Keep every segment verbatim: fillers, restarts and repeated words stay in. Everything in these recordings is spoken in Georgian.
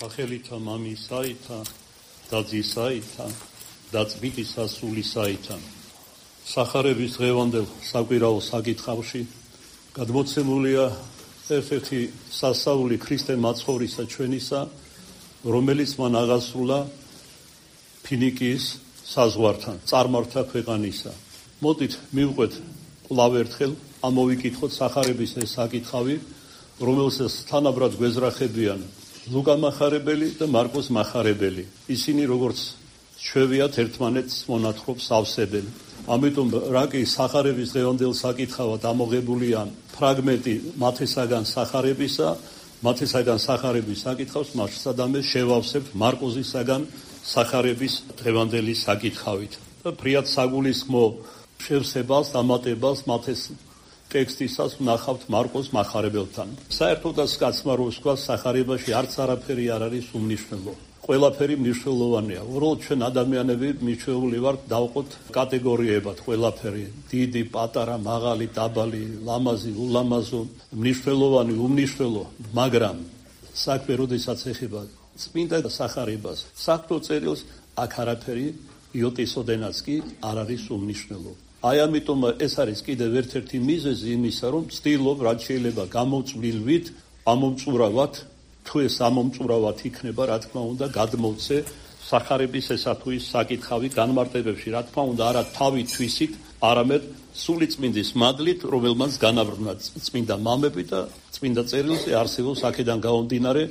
სახელითა მამისაითა და ძისაითა და წმინდისა სულისაითა. სახარების დღევანდელ საკვირაო საკითხავში გადმოცემულია ერთ-ერთი სასაული ქრისტე მაცხოვრისა ჩვენისა, რომელიც მან აღასრულა ფინიკიის საზღვართან, წარმართა ქვეყანისა. მოდით მივყვეთ კვლავ ერთხელ, ამოვიკითხოთ სახარების ეს საკითხავი, რომელსაც თანაბრად გვეზრახებიან ლუკა მახარებელი და მარკოს მახარებელი. ისინი როგორც ჩვევიათ ერთმანეთს მონათხრობს ავსებენ. ამიტომ რა კი სახარების დღევანდელ საკითხავად ამოღებულია ფრაგმენტი მათესაგან სახარებისა, მათესაგან სახარების საკითხავს მასადამე შევავსებთ მარკოზისაგან სახარების დღევანდელი საკითხავით. და ფრიად საგულისხმო შევსებას, დამატებას მათეს ტექსტისას ვნახავთ მარკოს მახარებელთან. საერთოდაც კაცმა რო ვსვას სახარებაში არც არაფერი არ არის უმნიშვნელო. ყველაფერი მნიშვნელოვანია. უბრალოდ ჩვენ ადამიანები მიჩვეული ვართ დავყოთ კატეგორიებად ყველაფერი. დიდი, პატარა, მაღალი, დაბალი, ლამაზი, ულამაზო, მნიშვნელოვანი, უმნიშვნელო, მაგრამ საქმე როდესაც ეხება წმინდა სახარებას, საქმო წერილს აქ არაფერი იოტისოდენაც კი არ არის უმნიშვნელო. აი ამიტომ ეს არის კიდევ ერთ-ერთი მიზეზი იმისა, რომ ვცდილობ რაც შეიძლება გამოწვლილვით ამომწურავად, თუ ეს ამომწურავად იქნება, რა თქმა უნდა, გადმოვცე სახარების ესა თუ ის საკითხავი განმარტებებში, რა თქმა უნდა, არა თავი თვისით, არამედ სული წმინდის მადლით, რომელმაც განავრდნა წმინდა მამები და წმინდა წერილზე არსებობს აქედან გამომდინარე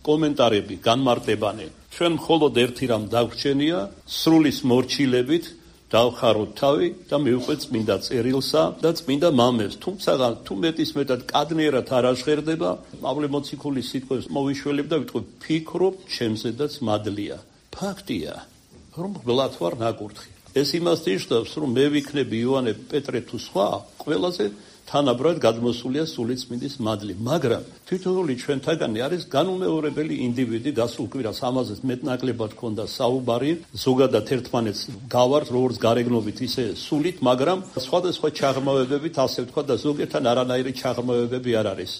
კომენტარები, განმარტებანი. ჩვენ მხოლოდ ერთი რამ დაგვრჩენია, სრულის მორჩილებით დავხაროთ თავი და მივყვეთ წმინდა წერილსა და წმინდა მამებს. თუმცა თუ მეტის მეტად კადნიერად არ აღშერდება, პავლე მოციქულის სიტყვებს მოვიშველებ და ვიტყვი, ფიქრობ, ჩემზედაც მადლია. ფაქტია, რომ გლათ ვარ ნაკურთხი. ეს იმას ნიშნავს, რომ მე ვიქნები იოანე, პეტრე თუ სხვა, ყველაზე თანაბრად გადმოსულია სული წმინდის მადლი, მაგრამ თითოეული ჩვენთაგანი არის განუმეორებელი ინდივიდი, გასულ კვირას ამაზე მეტნაკლებად ქონდა საუბარი, ზოგადად ერთმანეთს გავართ როგორც გარეგნობით ისე სულით, მაგრამ სხვადასხვა ჩაღრმავებებით, ასე ვთქვა და ზოგიერთთან არანაირი ჩაღრმავებები არ არის.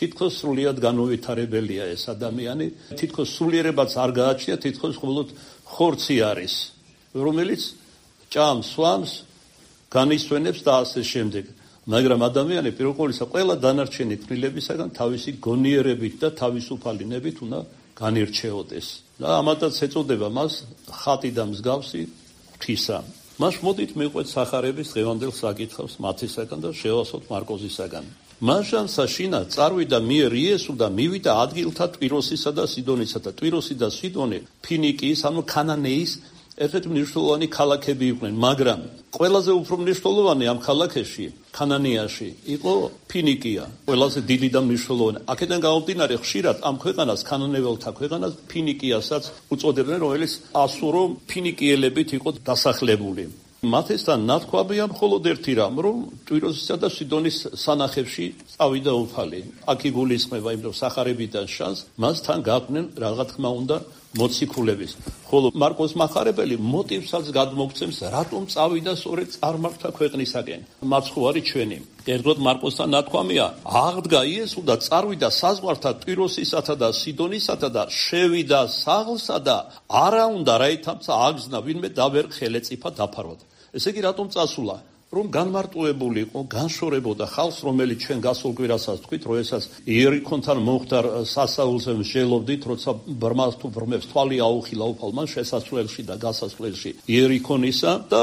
თითქოს სრულიად განუვითარებელია ეს ადამიანი, თითქოს სულიერებაც არ გააჩნია, თითქოს მხოლოდ ხორცი არის, რომელიც ჭამს, სვამს, განისვენებს და ასე შემდეგ. მაგრამ ადამიანი პირველ ყოვლისა ყველა დანარჩენი თვლილებისაგან თავისი გონიერებით და თავისუფალინებით უნდა განირჩეოდეს. და ამათაც ეწოდება მას ხატი და მსგავსი ღვთისა. მას მოდით მივყვეთ სახარების დღევანდელ საკითხავს მათესაგან და შევასოთ მარკოზისაგან. მაშანსა შინა წარვიდა მიერ იესო და მივიდა ადგილთა ტვიროსისა და სიდონისა და ტვიროსი და სიდონი ფინიკიის, ანუ ქანანეის ერთ-ერთი მნიშვნელოვანი ქალაქები იყვნენ, მაგრამ ყველაზე უფრო მნიშვნელოვანი ამ ქალაქებში, ქანანიაში, იყო ფინიკია, ყველაზე დიდი და მნიშვნელოვანი. აქედან გამომდინარე, ხშირად ამ ქვეყანას, ქანანეველთა ქვეყანას, ფინიკიასაც უწოდებდნენ, რომელიც ასურო ფინიკიელებით იყო დასახლებული. მათესთან ნათქვამია მხოლოდ ერთი რამ, რომ ტვიროსისა და სიდონის სანახებში წავიდა უფალი. აქ იგულისხმება, იმიტომ სახარებიდან შანს, მას თან გაყვნენ რა თქმა უნდა მოციქულების. ხოლო მარკოს მახარებელი მოტივსაც გადმოგცემს, რატომ წავიდა სწორედ წარმართა ქვეყნისაკენ. მაცხოვარი ჩვენი. ერთოდ მარკოსთან ნათქვამია, აღდგა იესო და წარვიდა საზღვართა ტვიროსისათა და სიდონისათა და შევიდა საღლსა და არა უნდა რაითამცა აგზნა ვინმე და ვერ ხელეწიფა დაფარვად. ესე იგი რატომ წასულა? რომ განმარტოებული იყო, განშორებოდა ხალხს, რომელიც ჩვენ გასულ კვირასაც თქვით, რომ ესაც იერიქონთან მომხდარ სასაულზე მსჯელობდით, როცა ბრმას თუ ბრმებს თვალი აუხილა უფალმა შესასვლელში და გასასვლელში იერიქონისა და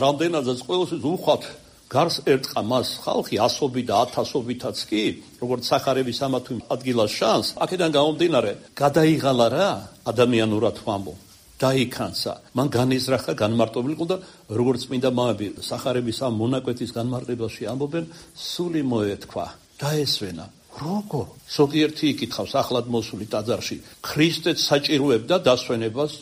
რამდენადაც ყოველთვის უხვად გარს ერტყა მას ხალხი ასობით და ათასობითაც კი, როგორც სახარების ამა თუ ადგილას შანს, აქედან გამომდინარე, გადაიღალა რა ადამიანურად ვამბო. დაიქანცა, მან განიზრახა, განმარტობილი იყო და როგორც წმინდა მამები სახარების ამ მონაკვეთის განმარტებაში ამბობენ, სული მოეთქვა, დაესვენა. როგორ? ზოგიერთი იკითხავს ახლად მოსული ტაძარში, ქრისტეც საჭიროებდა დასვენებას?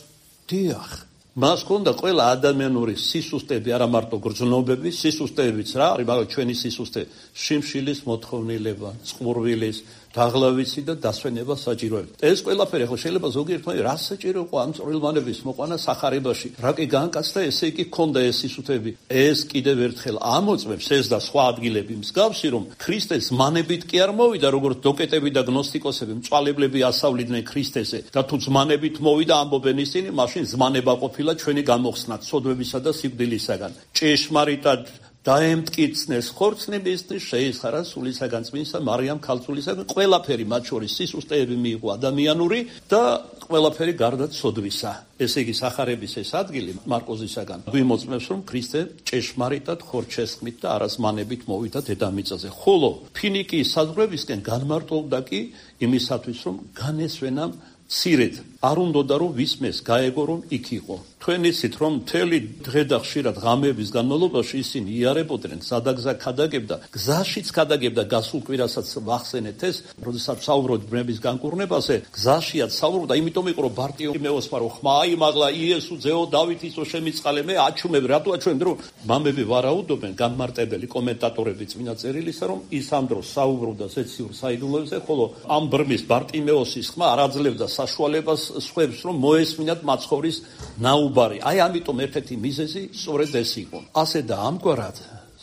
დიახ. მას ჰქონდა ყველა ადამიანური სისუსტეები, არა მარტო გრძნობები, სისუსტეებიც რა არის, მაგრამ ჩვენი სისუსტე, შიმშილის მოთხოვნილება, წყურვილის, დაღლავიცი და დასვენება საჭიროებით. ეს ყველაფერი ხო შეიძლება ზოგიერთმა რა საჭირო იყო ამ წვრილმანების მოყვანა სახარებაში. რა კი განკაცდა, ესე იგი ქონდა ეს სისუთები. ეს კიდევ ერთხელ ამოწმებს ეს და სხვა ადგილები მსგავსი, რომ ქრისტე ზმანებით კი არ მოვიდა, როგორც დოკეტები და გნოსტიკოსები, მწვალებლები ასავლიდნენ ქრისტეზე და თუ ზმანებით მოვიდა, ამბობენ ისინი, მაშინ ზმანება ყოფილა ჩვენი გამოხსნა ცოდვებისა და სიკვდილისაგან. ჭეშმარიტად დაემტკიცნეს ხორცნებისთვის შეიხარა სულისაგან წმინსა მარიამ ქალწულისაგან ყველაფერი მათ შორის სისუსტეები მიიღო ადამიანური და ყველაფერი გარდა ცოდვისა. ესე იგი სახარების ეს ადგილი მარკოზისაგან გვიმოწმებს, რომ ქრისტე ჭეშმარიტად ხორჩესხმით და არაზმანებით მოვიდა დედამიწაზე. ხოლო ფინიკიის საზღვრებისკენ განმარტოვდა კი იმისათვის, რომ განესვენა მცირედ არ უნდოდა რომ ვისმეს გაეგო რომ იქ იყო. თქვენ იცით რომ მთელი დღე და ხშირად ღამეების განმავლობაში ისინი იარებოდნენ, სადაგზა ქადაგებდა, გზაშიც ქადაგებდა, გასულ კვირასაც ვახსენეთ ეს, როდესაც საუბრობთ ბრმების განკურნებაზე, გზაშიაც საუბრობდა, იმიტომ იყო რომ ბარტიმეოსმა რომ ხმა აიმაღლა, იესო ძეო დავითისო შემიწყალე, მე აჩუმებ, რატო აჩუმებ, რომ მამები ვარაუდობენ, განმარტებელი კომენტატორები წმინდა წერილისა, რომ ის ამ დროს საუბრობდა ზეციურ საიდუმლოებზე, ხოლო ამ ბრმის ბარტიმეოსის ხმა არ აძლევდა საშუალებას სხვებს რომ მოესმინათ მაცხოვრის ნაუბარი. აი ამიტომ ერთ-ერთი მიზეზი სწორედ ეს იყო. ასე და ამგვარად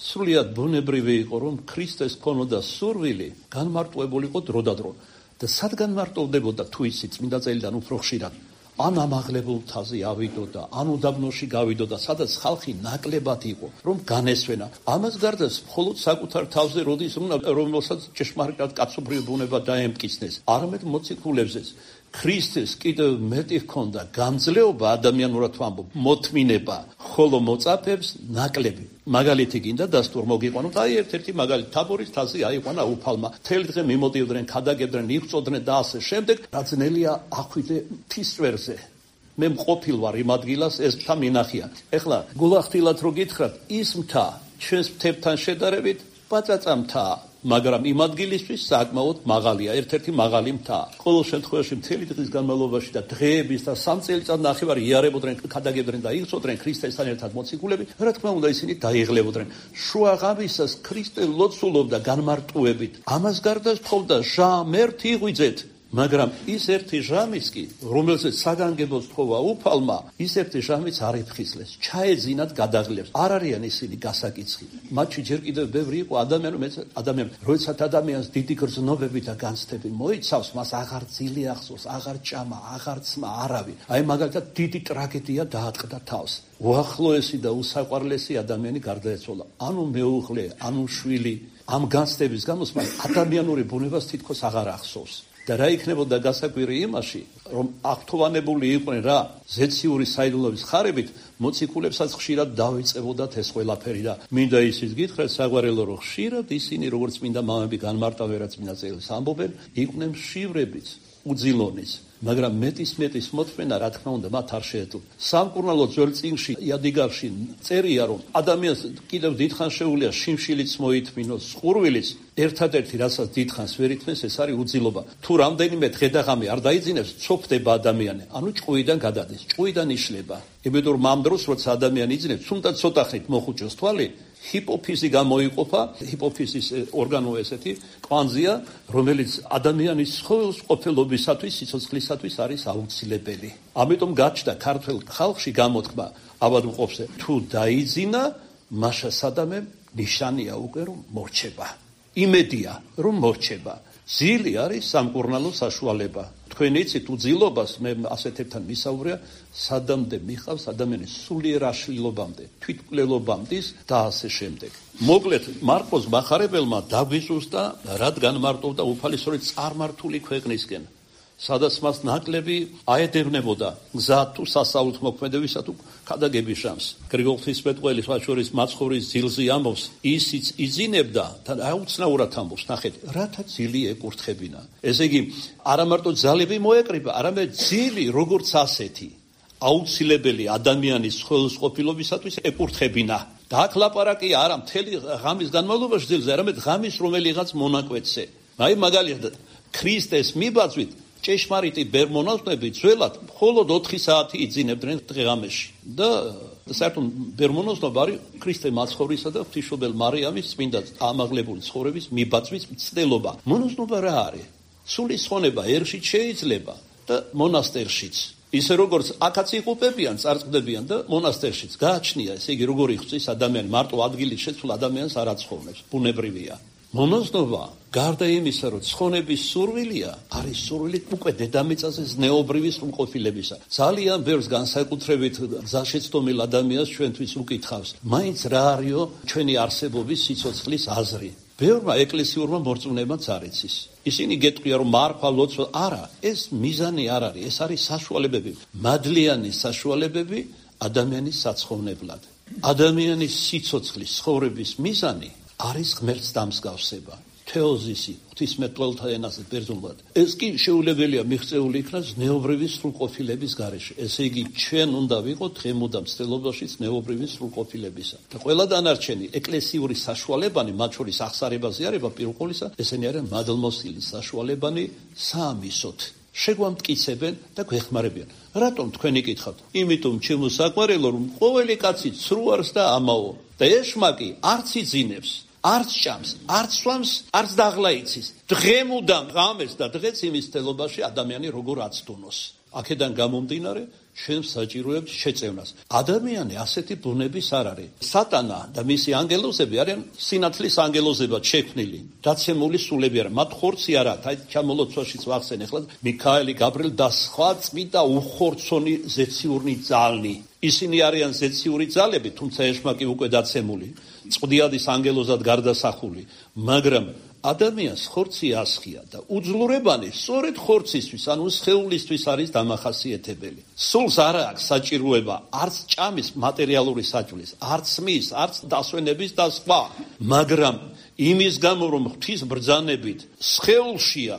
სრულიად ბუნებრივი იყო რომ ქრისტეს ქონოდა სურვილი განმარტოვებულიყო დროდადრო და სად განმარტოვდებოდა თუ ისი წმინდა წერილიდან უფრო ხშირად ან ამაღლებულ მთაზე ავიდოდა, ან უდაბნოში გავიდოდა, სადაც ხალხი ნაკლებად იყო, რომ განესვენა. ამას გარდა მხოლოდ საკუთარ თავზე როდის უნდა რომელსაც ჭეშმარიტად კაცობრიო ბუნება დაემტკიცნეს, არამედ მოციქულებზეც. ქრისტეს კიდევ მეტი ჰქონდა გამძლეობა ადამიანურად ვამბობ, მოთმინება, ხოლო მოწაფეებს ნაკლები. მაგალითი გინდა დასტურ მოგიყვანოთ, აი ერთ-ერთი მაგალითი თაბორის თასი აიყვანა უფალმა. თელი დღე მიმოდიოდნენ, ქადაგებდნენ, იხწოდნენ და ასე შემდეგ. რა ძნელია ახვიდე მთისწვერზე. მე მყოფილ ვარ იმ ადგილას, ეს მთა მინახია. ეხლა გულახდილად რო გითხრათ, ის მთა ჩვენს მთებთან შედარებით პაწაწა მთაა. მაგრამ იმ ადგილისთვის საკმაოდ მაღალია, ერთ-ერთი მაღალი მთა. ყოველ შემთხვევაში მთელი დღის განმავლობაში და დღეების და სამ წელიწად ნახევარი იარებოდნენ, ქადაგებდნენ და იხწოდნენ ქრისტესთან ერთად მოციქულები, რა თქმა უნდა ისინი დაიღლებოდნენ. შუა ღამისას ქრისტე ლოცულობდა განმარტუებით. ამას გარდა თხოვდა ჟამერთ იღვიძეთ. მაგრამ ის ერთი ჟამიც კი, რომელზეც საგანგებოს თხოვა უფალმა, ის ერთი ჟამიც არ იფხიზლეს, ჩაეძინათ გადაღლებს. არ არიან ისინი გასაკიცხი. მათში ჯერ კიდევ ბევრი იყო ადამიანი, ადამიანი, როდესაც ადამიანს დიდი გრძნობები და განცდები მოიცავს, მას აღარ ძილი ახსოვს, აღარ ჭამა, აღარ ცმა, არავინ. აი მაგალითად დიდი ტრაგედია დაატყდა თავს. უახლოესი და უსაყვარლესი ადამიანი გარდაეცვალა. ანუ მეუღლე, ანუ შვილი, ამ განცდების გამო ადამიანური ბუნებას თითქოს აღარ ახსოვს. და რა იქნებოდა გასაკვირი იმაში, რომ აქტოვანებული იყვნენ რა ზეციური საიდუმლოების ხარებით, მოციქულებსაც ხშირად დავიწყებოდათ ეს ყველაფერი და მინდა ისიც გითხრათ საგვარელო, რომ ხშირად ისინი როგორც მინდა მამები განმარტავენ რა წმინდა წერილს ამბობენ, იყვნენ მშივრებიც, უძილონის, მაგრამ მეტის მეტის მოთმენა რა თქმა უნდა მათ არ შეეძლო. სამკურნალო ძველ წიგნში იადიგარში წერია, რომ ადამიანს კიდევ დიდხანს შეუძლია შიმშილიც მოითმინოს, ყურვილიც, ერთადერთი რასაც დიდხანს ვერ ითმენს, ეს არის უძილობა. თუ რამდენიმე დღე და ღამე არ დაიძინებს, ცოფდება ადამიანი, ანუ ჭყვიდან გადადის, ჭყვიდან იშლება. იმედურ მამ დროს, როცა ადამიანი იძინებს, თუნდაც ცოტა ხნით მოხუჭოს თვალი, ჰიპოფიზი გამოიყოფა, ჰიპოფიზის ორგანო ესეთი კვანძია, რომელიც ადამიანის ყოფილობისათვის, სიცოცხლისათვის არის აუცილებელი. ამიტომ გაჩნდა ქართველ ხალხში გამოთქმა ავადმყოფზე, თუ დაიძინა, მაშა სადამე ნიშანია უკვე რომ მორჩება. იმედია რომ მორჩება. ძილი არის სამკურნალო საშუალება. თქვენ იცით უძილობას, მე ასეთებთან მისაუბრია, სადამდე მიყავს ადამიანის სულიერ აშლილობამდე, თვითმკვლელობამდის და ასე შემდეგ. მოკლედ, მარკოზ მახარებელმა დაგვიზუსტა, რადგან მარტოვდა უფალისწორი წარმართული ქვეყნისკენ, სადაც მას ნაკლები აედევნებოდა გზა თუ სასაულთ მოქმედებისა თუ ქადაგების ჟამს. გრიგოლ ღვთისმეტყველის შორის მაცხოვრის ძილზე ამბობს, ისიც იძინებდა და აუცნაურად ამბობს, ნახეთ, რათა ძილი ეკურთხებინა. ესე იგი, არა მარტო ძალები მოეკრიბა, არამედ ძილი როგორც ასეთი აუცილებელი ადამიანის ხელსაყრელობისათვის ეკურთხებინა. და აქ ლაპარაკი არა მთელი ღამის განმავლობაში ძილზე, არამედ ღამის რომელიღაც მონაკვეთზე. აი მაგალითად, ქრისტეს მიბაძვით ჭეშმარიტი ბერმონაზვნები ძველად მხოლოდ ოთხი საათი იძინებდნენ დღე-ღამეში და საერთოდ ბერმონაზნობა არის ქრისტე მაცხოვრისა და ღვთისმშობელ მარიამის წმინდა ამაღლებული ცხოვრების მიბაძვის მცდელობა. მონაზნობა რა არის? სულის ხონება ერშიც შეიძლება და მონასტერშიც. ისე როგორც აქაც იყופებიან, წარწყდებიან და მონასტერშიც გააჩნია, ესე იგი როგორი ხვწის ადამიანი მარტო ადგილის შეცვლა ადამიანს არ აცხოვრებს, ბუნებრივია. მონაზნობა, გარდა იმისა, რომ ცხონების სურვილია, არის სურვილი უკვე დედამიწაზე ზნეობრივი სრულყოფილებისა. ძალიან ბევრს განსაკუთრებით გზაშეცდომილ ადამიანს ჩვენთვის უკითხავს, მაინც რა არისო ჩვენი არსებობის სიცოცხლის აზრი. ბევრმა ეკლესიურმა მორწმუნეებმაც არ იცის. ისინი გეტყვია, რომ მარხვა, ლოცვა, არა, ეს მიზანი არ არის, ეს არის საშუალებები, მადლიანი საშუალებები ადამიანის საცხოვნებლად. ადამიანის სიცოცხლის ცხოვრების მიზანი არის ღმერთს დამსგავსება. თეოზისი, ღვთისმეტყველთა ენაზე ბერძნულად. ეს კი შეუძლებელია მიღწეული იქნას ზნეობრივი სრულყოფილების გარეშე. ესე იგი, ჩვენ უნდა ვიყოთ ღემუდამ ცდილობაში ზნეობრივი სრულყოფილებისა. და ყველა დანარჩენი ეკლესიური საშუალებანი, მათ შორის აღსარებაზე არება პირველ ყოვლისა, ესენი არიან მადლმოსილი საშუალებანი საამისოთ. შეგვამტკიცებენ და გვეხმარებიან. რატომ თქვენი კითხავთ? იმიტომ ჩემო საყვარელო, რომ ყოველი კაცი ცრუ არის და ამაო. და ეშმაკი არც იძინებს, არც ჭამს, არც სვამს, არც დაღლა იცის. დღემუდამ ღამეს და დღეც იმის თელობაში ადამიანი როგორ აცდუნოს. აქედან გამომდინარე, ჩვენ საჭიროებთ შეწევნას. ადამიანი ასეთი ბუნების არ არის. სატანა და მისი ანგელოზები არიან სინათლის ანგელოზებად შექმნილი, დაცემული სულები არა. მათ ხორცი არ აქვს. აი ჩამოლოცვაშიც ვახსენ ახლა მიქაელი, გაბრიელი და სხვა წმინდა უხორცონი ზეციურნი ძალნი. ისინი არიან ზეციური ძალები, თუმცა ეშმაკი უკვე დაცემული, წვდიადის ანგელოზად გარდასახული, მაგრამ ადამიანს ხორცი ასხია და უძლურებანი სწორედ ხორცისთვის, ანუ სხეულისთვის არის დამახასიათებელი. სულს არ აქვს საჭიროება არც ჭამის მატერიალური საჭმლის, არც სმის, არც დასვენების და სხვა, მაგრამ იმის გამო, რომ ღვთის ბრძანებით სხეულშია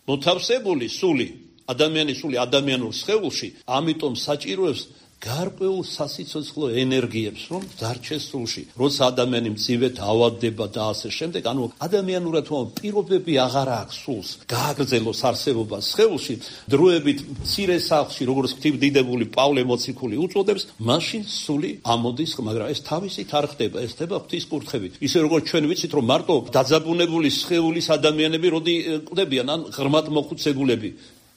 მოთავსებული სული, ადამიანის სული ადამიანურ სხეულში, ამიტომ საჭიროებს გარკვეულ სასიცოცხლო ენერგიებს, რომ დარჩეს სულში. როცა ადამიანი მძივედ ავადდება და ასე შემდეგ, ანუ ადამიანურად პირობები აღარ აქვს სულს, გააგრძელოს არსებობა სხეულში, დროებით მცირე სახლში, როგორც ღვთისმდიდებული პავლე მოციქული უწოდებს, მაშინ სული ამოდის, მაგრამ ეს თავისით არ ხდება, ეს ხდება ღვთის კურთხევით. ისე როგორც ჩვენ ვიცით, რომ მარტო დაძაბუნებული სხეულის ადამიანები როდი კვდებიან, ან ღრმად მოხუცებულები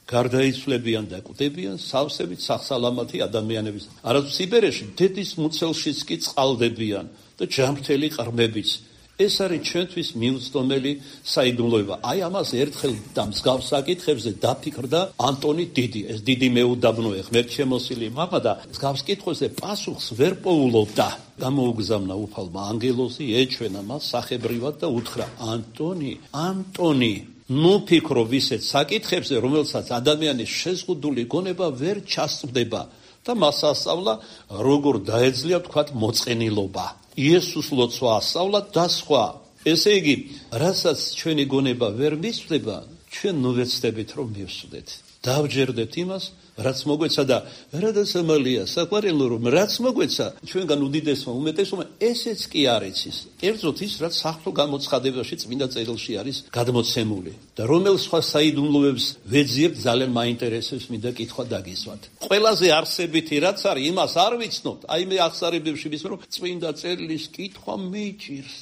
გარდაიცვლებიან და კვდებიან სავსებით სახსალამათი ადამიანების. არა სიბერეში დედის მუცელშიც კი წყალდებიან და ჯანმრთელი ყრმებიც. ეს არის ჩვენთვის მიუწვდომელი საიდუმლოება. აი ამას ერთხელ და მსგავს საკითხებზე დაფიქრდა ანტონი დიდი. ეს დიდი მეუდაბნოე ღმერთშემოსილი მამა და მსგავს კითხვებზე პასუხს ვერ პოულობდა. გამოუგზავნა უფალმა ანგელოზი, ეჩვენა მას სახებრივად და უთხრა: ანტონი, ანტონი, ნუ ფიქრო ვისეთ საკითხებზე, რომელსაც ადამიანის შეზღუდული გონება ვერ ჩასწვდება და მას ასწავლა, როგორ დაეძლია ვთქვათ მოწყენილობა. იესოს ლოცვა ასწავლა და სხვა. ესე იგი, რასაც ჩვენი გონება ვერ მისწვდება, ჩვენ ნუ ვეცდებით რომ მივსვდეთ. დავჯერდეთ იმას, რაც მოგვეცა და რადასამალია საყვარელო, რომ რაც მოგვეცა ჩვენგან უდიდესმა უმეტესობა ესეც კი არ იცის. კერძოდ ის, რაც საღვთო გამოცხადებაში წმინდა წერილში არის გადმოცემული და რომელ სხვა საიდუმლოებს ვეძიებთ, ძალიან მაინტერესებს მინდა კითხვა დაგისვათ. ყველაზე არსებითი რაც არის, იმას არ ვიცნობთ. აი მე აღსარებებში ვიცნობ, რომ წმინდა წერილის კითხვა მიჭირს.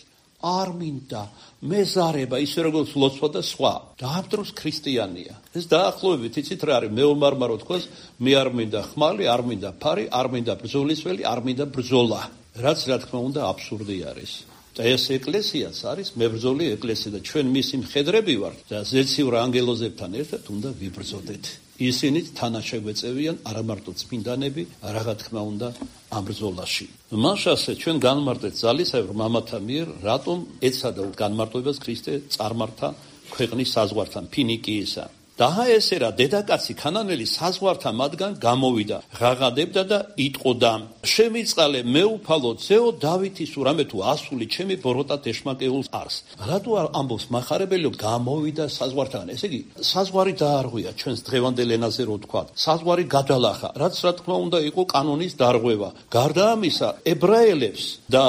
არ მინდა მეზარება, ისე როგორც ლოცვა და სხვა. დააბდროს ქრისტიანია. ეს დაახლოებით იცით რა არის, მეომარმარო თქოს, მე არ მინდა ხმალი, არ მინდა ფარი, არ მინდა ბრძოლისველი, არ მინდა ბრძოლა. რაც რა თქმა უნდა აბსურდი არის. და ეს ეკლესიაც არის მებრძოლი ეკლესია და ჩვენ მისი მხედრები ვართ და ზეციურ ანგელოზებთან ერთად უნდა ვიბრძოდეთ. ისინიც თანაშეგვეწევიან არა მარტო წმინდანები, რა თქმა უნდა ამ ბრძოლაში. მაშასე ჩვენ განმარტეთ ძალისებრ მამათა მიერ, რატომ ეცადა განმარტოებას ქრისტე წარმართა ქვეყნის საზღვართან, ფინიკიისა. და ესე რა დედაკაცი ქანანელი საზღვართან მათგან გამოვიდა, ღაღადებდა და იტყოდა: შემიწყალე მეუფალო ძეო დავითის ურამე თუ ასული ჩემი ბოროტად ეშმაკეულს არს. რატო ამბობს მახარებელი გამოვიდა საზღვართან? ესე იგი საზღვარი დაარღვია ჩვენს დღევანდელ ენაზე რო თქვა. საზღვარი გადალახა, რაც რა თქმა უნდა იყო კანონის დარღვევა. გარდა ამისა, ებრაელებს და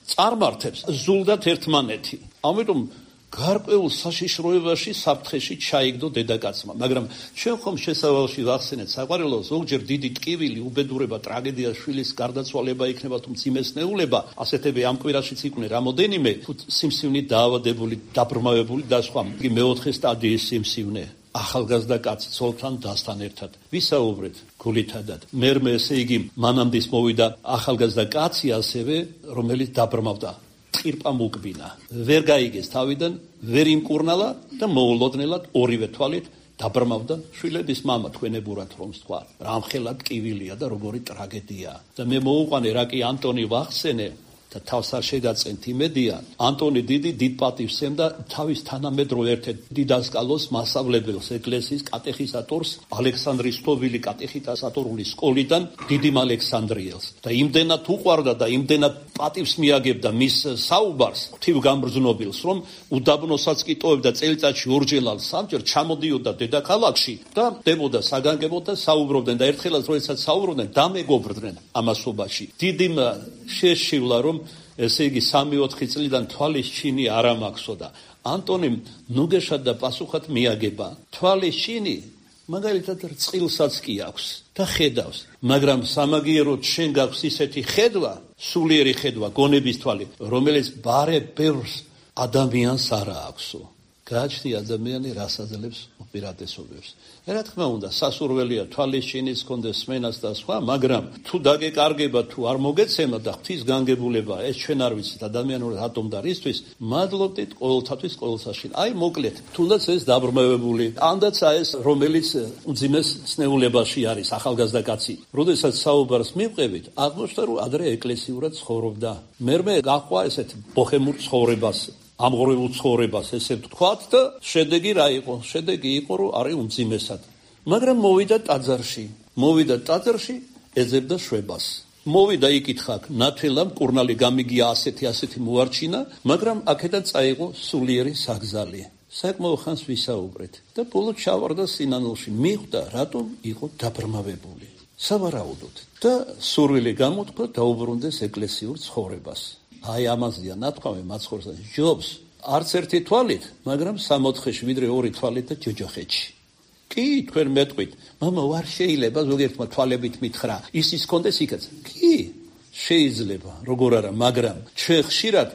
წარმართებს ზულდათ ერთმანეთი. ამიტომ გარკვეულ საშიშროებაში საფრთხეში ჩაიგდო დედაკაცმა, მაგრამ ჩვენ ხომ შესავალში ვახსენეთ საყვარელო, ზოგჯერ დიდი ტკივილი, უბედურება, ტრაგედია, შვილის გარდაცვალება იქნება თუ მძიმესნეულება, ასეთები ამ კვირაშიც იყვნენ რამოდენიმე, თუ სიმსივნით დაავადებული, დაბრმავებული და სხვა. იგი მეოთხე სტადიის სიმსივნე. ახალგაზრდა კაცი ცოლთან დასთან ერთად ვისაუბრეთ გულითადად. მერმე ესე იგი მანამდის მოვიდა ახალგაზრდა კაცი ასევე, რომელიც დაბრმავდა. ტყირპა მოკბინა. ვერ გაიგეს თავიდან, ვერ იმკურნალა და მოულოდნელად ორივე თვალით დაბრმავდა შვილების მამა თქვენებურად რომ თქვა. რამხელა ტკივილია და როგორი ტრაგედია. და მე მოუყვანე რა კი ანტონი ვახსენე და თავს არ შეგაწენთ იმედია. ანტონი დიდი დიდ პატივს ემდა თავის თანამედროვე ერთ-ერთ დიდასკალოს მასწავლებელს, ეკლესიის კატეხიზატორს, ალექსანდრის თოვილი კატეხიზატორული სკოლიდან დიდიმ ალექსანდრიელს. და იმდენად უყვარდა და იმდენად პატივს მიაგებდა მის საუბარს, ღვთივგამბრძნობილს, რომ უდაბნოსაც კი ტოვებდა წელიწადში ორჯერ ან სამჯერ ჩამოდიოდა დედაქალაქში და დებოდა საგანგებოდ და საუბრობდნენ და ერთხელაც როდესაც საუბრობდნენ, დამეგობრდნენ ამასობაში. დიდიმ შეშივლა რომ ესე იგი სამი-ოთხი წლიდან თვალის ჩინი არ ამაქვსო და ანტონიმ ნუგეშად და პასუხად მიაგება. თვალის ჩინი მაგალითად რწყილსაც კი აქვს და ხედავს, მაგრამ სამაგიეროდ შენ გაქვს ისეთი ხედვა, სულიერი ხედვა, გონების თვალი, რომელიც ბარე ბევრს ადამიანს არ აქვსო. გააჩნი ადამიანი რას აძლევს უპირატესობებს. რა თქმა უნდა, სასურველია თვალის ჩინის კონდეს სმენას და სხვა, მაგრამ თუ დაგეკარგება, თუ არ მოგეცემა და ღვთის განგებულება, ეს ჩვენ არ ვიცით ადამიანურად ატომ და რისთვის, მადლობდით ყოველთათვის ყოველსაში. აი მოკლედ, თუნდაც ეს დაბრმავებული, ანდაც ეს რომელიც უძიმეს სნეულებაში არის, ახალგაზრდა კაცი. როდესაც საუბარს მივყევით, აღმოჩნდა რომ ადრე ეკლესიურად ცხოვრობდა. მერმე გაყვა ესეთ ბოჰემურ ცხოვრებას. ამღრეულ ცხოვრებას ესე ვთქვათ და შედეგი რა იყო? შედეგი იყო რომ არის უმძიმესად. მაგრამ მოვიდა ტაძარში. მოვიდა ტაძარში, ეძებდა შვებას. მოვიდა იკითხა, ნათელა მკურნალი გამიგია ასეთი ასეთი მოარჩინა, მაგრამ აქედან წაიღო სულიერი საგზალი. საკმაო ხანს ვისაუბრეთ და ბოლოს ჩავარდა სინანულში. მიხვდა, რატომ იყო დაბრმავებული. სავარაუდოდ და სურვილი გამოთქვა დაუბრუნდეს ეკლესიურ ცხოვრებას. აი ამაზეა ნათქვამი მაცხოვრს ჯობს არც ერთი თვალით, მაგრამ სამოთხეში ვიდრე ორი თვალით და ჯოჯოხეთში. კი, თქვენ მეტყვით, მამა ვარ შეიძლება ზოგიერთმა თვალებით მითხრა, ისის კონდეს იქაც. კი, შეიძლება, როგორ არა, მაგრამ ჩვენ ხშირად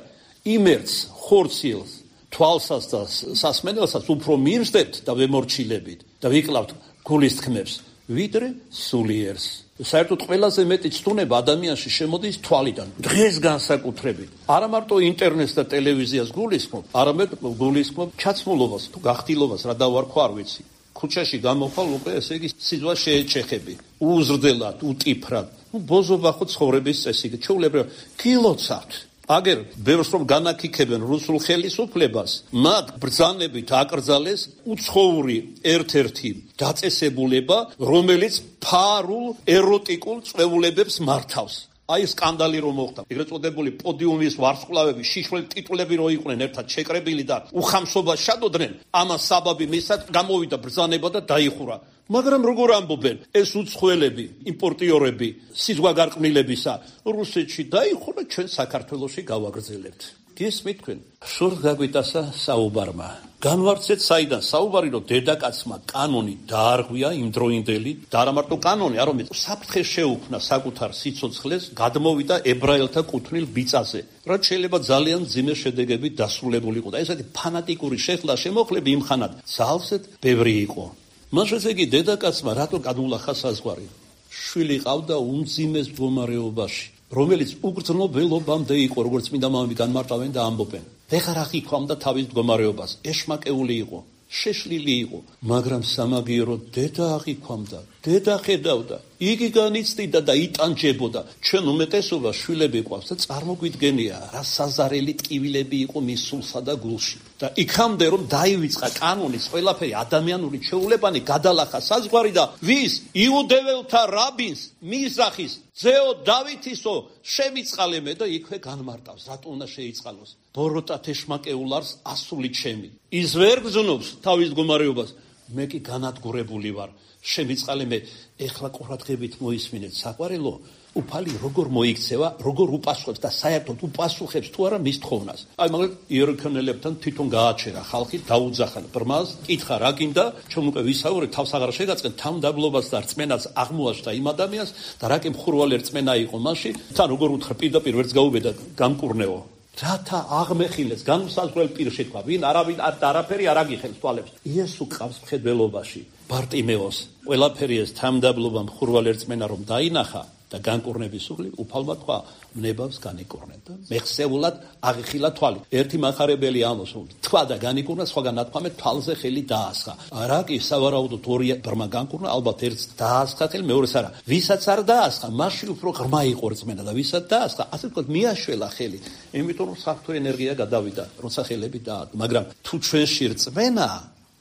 იმერც, ხორციელს, თვალსას და სასმენელსაც უფრო მივსდებთ და ვემორჩილებით და ვიკლავთ გულის თქმებს, ვიდრე სულიერს. საერთოდ ყველაზე მეტი ცდუნება ადამიანში შემოდის თვალიდან, დღეს განსაკუთრებით. არა მარტო ინტერნეტს და ტელევიზიას გულისხმობ, არამედ გულისხმობ ჩაცმულობას თუ გახტილობას, რა დავარქვა არ ვიცი. ქუჩაში გამოხვალ უკვე ესე იგი სიძვა შეეჩეხები, უზრდელად, უტიფრად. ნუ ბოზობა ხო ცხოვრების წესი, ჩვეულებრივ გილოცავთ. აგერ ბევრს რომ განაკიქებენ რუსულ ხელისუფლებას, მათ ბრძანებით აკრძალეს უცხოური ერთ-ერთი დაწესებულება, რომელიც ფარულ ეროტიკულ წვეულებებს მართავს. აი სკანდალი რომ მოხდა. ეგრეთ წოდებული პოდიუმის ვარსკვლავები, შიშველი ტიტულები რო იყვნენ ერთად შეკრებილი და უხამსობას შადოდნენ, ამას საბაბი მისად გამოვიდა ბრძანება და დაიხურა. მაგრამ როგორ ამბობენ, ეს უცხოელები, იმპორტიორები, სიზღვაგარყმილებისა, რუსეთში დაიხურა, ჩვენ საქართველოში გავაგრძელებთ. გესმით თქვენ? შორს გაგვიტასა საუბარმა. განვარცეთ საიდან საუბარი, რომ დედაკაცმა კანონი დაარღვია იმდროინდელი, და არა მარტო კანონი, არამედ საფრთხე შეუქმნა საკუთარ სიცოცხლეს, გადმოვიდა ებრაელთა კუთვნილ ბიწაზე, რაც შეიძლება ძალიან მძიმე შედეგებით დასრულებულიყო. და ესეთი ფანატიკური შეხლა შემოხლები იმხანად ძალზედ ბევრი იყო. მას ესე იგი დედაკაცმა რატო გადულახა საზღვარი? შვილი ყავდა უმძიმეს მდგომარეობაში, რომელიც უგრძნობელობამდე იყო, როგორც წმინდა მამები განმარტავენ და ამბობენ. ვეღარ აღიქვამდა თავის მდგომარეობას, ეშმაკეული იყო, შეშლილი იყო, მაგრამ სამაგიეროდ დედა აღიქვამდა, დედა ხედავდა, იგი განიცდიდა და იტანჯებოდა. ჩვენ უმეტესობა შვილები ყავს და წარმოგვიდგენია, რა საზარელი ტკივილები იყო მის სულსა და გულში. და იქამდე რომ დაივიწყა კანონის ყველაფერი ადამიანური ჩვეულებანი, გადალახა საზღვარი და ვის? იუდეველთა რაბინს, მიზრახის ძეო დავითისო შემიწყალე მე და იქვე განმარტავს, რატო უნდა შეიწყალოს. ბოროტად ეშმაკეულ არს ასული ჩემი. ის ვერ გრძნობს თავის მდგომარეობას, მე კი განადგურებული ვარ. შემიწყალე მე ეხლა ყურადღებით მოისმინეთ საყვარელო უფალი როგორ მოიქცევა, როგორ უპასუხებს და საერთოდ უპასუხებს თუ არა მის თხოვნას. აი მაგალითად იერიქონელებთან თვითონ გააჩერა ხალხი, დაუძახან ბრმას, კითხა რა გინდა, ჩვენ უკვე ვისაუბრეთ, თავს აღარ შეგაწყენ, თავმდაბლობას და რწმენას აღმოაჩნდა იმ ადამიანს და რაკი მხურვალი რწმენა იყო მასში, თან როგორ უთხრა პირდაპირ ვერც გაუბედა გამკურნეო. რათა აღმეხილეს, განსაზღვრელ პირში თქვა, ვინ არავინ არაფერი არ აგიხელს თვალებს. იესო ყავს მხედველობაში, ბარტიმეოს, ყველაფერი ეს თავმდაბლობა მხურვალი რწმენა რომ დაინახა და განკურნების უხლი უფალმა თქვა ნებავს განიკურნეთ და მეხსეულად აღიხილა თვალი. ერთი მახარებელი ამოს რომ თქვა და განიკურნა, სხვაგან ნათქვამეთ თვალზე ხელი დაასხა. არა კი სავარაუდოდ ორი ბრმა განკურნა, ალბათ ერთს დაასხა ხელი, მეორეს არა. ვისაც არ დაასხა, მაშინ უფრო ღრმა იყო რწმენა და ვისაც დაასხა, ასე ვთქვათ, მიაშველა ხელი. იმიტომ რომ საფრთხე ენერგია გადავიდა, როცა ხელები დაადო. მაგრამ თუ ჩვენში რწმენა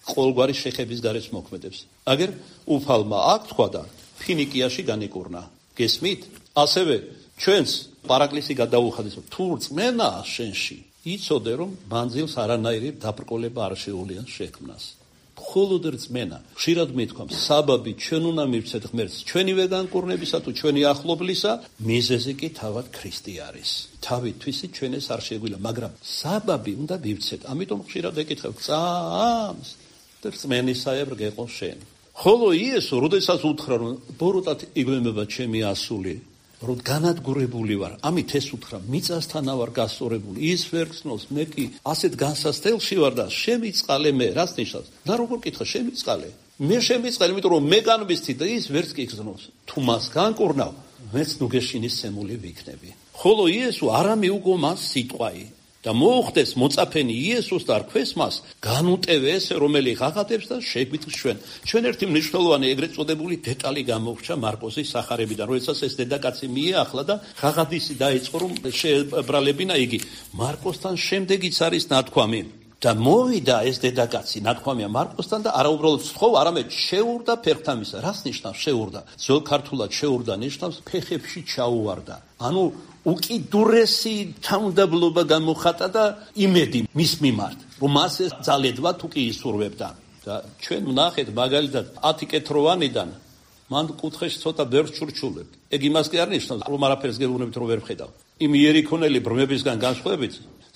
ყოველგვარი შეხების გარეშ მოქმედებს. აგერ უფალმა აქ თქვა და ფინიკიაში განიკურნა. გესმით? ასევე ჩვენს პარაკლისი გადაუხადეს, თუ რწმენა შენში, იცოდე რომ მანძილს არანაირი დაბრკოლება არ შეუძლია შექმნას. მხოლოდ რწმენა. ხშირად მithქვამს, საბაბი ჩვენ უნდა მივცეთ ღმერთს, ჩვენივე განკურნებისა თუ ჩვენი ახლობლისა, მიზეზი კი თავად ქრისტე არის. თავითვისი ჩვენ ეს არ შეგვიძლია, მაგრამ საბაბი უნდა მივცეთ. ამიტომ ხშირად ეკითხებ, წამს და რწმენისაებრ გეყო შენ. ხოლო იესო, როდესაც უთხრა რომ ბოროტად იგვემება ჩემი ასული, რომ განადგურებული ვარ, ამით ეს უთხრა, მიწასთანა ვარ გასწორებული, ის ვერ გრძნობს, მე კი ასეთ განსასწელში ვარ და შემიწყალე მე, რას ნიშნავს? და როგორ კითხა, შემიწყალე? მე შემიწყალე, იმიტომ რომ მე განვისთი და ის ვერც კი გრძნობს. თუ მას განკურნავ, მეც ნუგეშინის სემული ვიქნები. ხოლო იესო არა მიუგო მას სიტყვაი. და მოუხდეს მოწაფენი იესოს და რქვეს მას, განუტევე ესე, რომელი ღაღადებს და შეგვიწყს ჩვენ. ჩვენ ერთი მნიშვნელოვანი ეგრეთ წოდებული დეტალი გამოვრჩა მარკოზის სახარებიდან, როდესაც ეს დედაკაცი მიეახლა და ღაღადისი დაიწყო რომ შეებრალებინა იგი. მარკოსთან შემდეგიც არის ნათქვამი. და მოვიდა ეს დედაკაცი, ნათქვამია მარკოსთან და არა უბრალოდ სთხოვა, არამედ შეურდა ფერხთამისა. რას ნიშნავს შეურდა? ძველ ქართულად შეურდა ნიშნავს ფეხებში ჩაუვარდა. ანუ უკიდურესი თავმდაბლობა გამოხატა და იმედი მის მიმართ, რომ მას ეს ძალედვა თუ კი ისურვებდა. და ჩვენ ვნახეთ მაგალითად ათი კეთროვანიდან მან კუთხეში ცოტა ბევრს ჩურჩულებთ. ეგ იმას კი არ ნიშნავს, რომ არაფერს გეუბნებით რომ ვერ ვხედავ. იმ იერიქონელი ბრმებისგან განსხვავებით,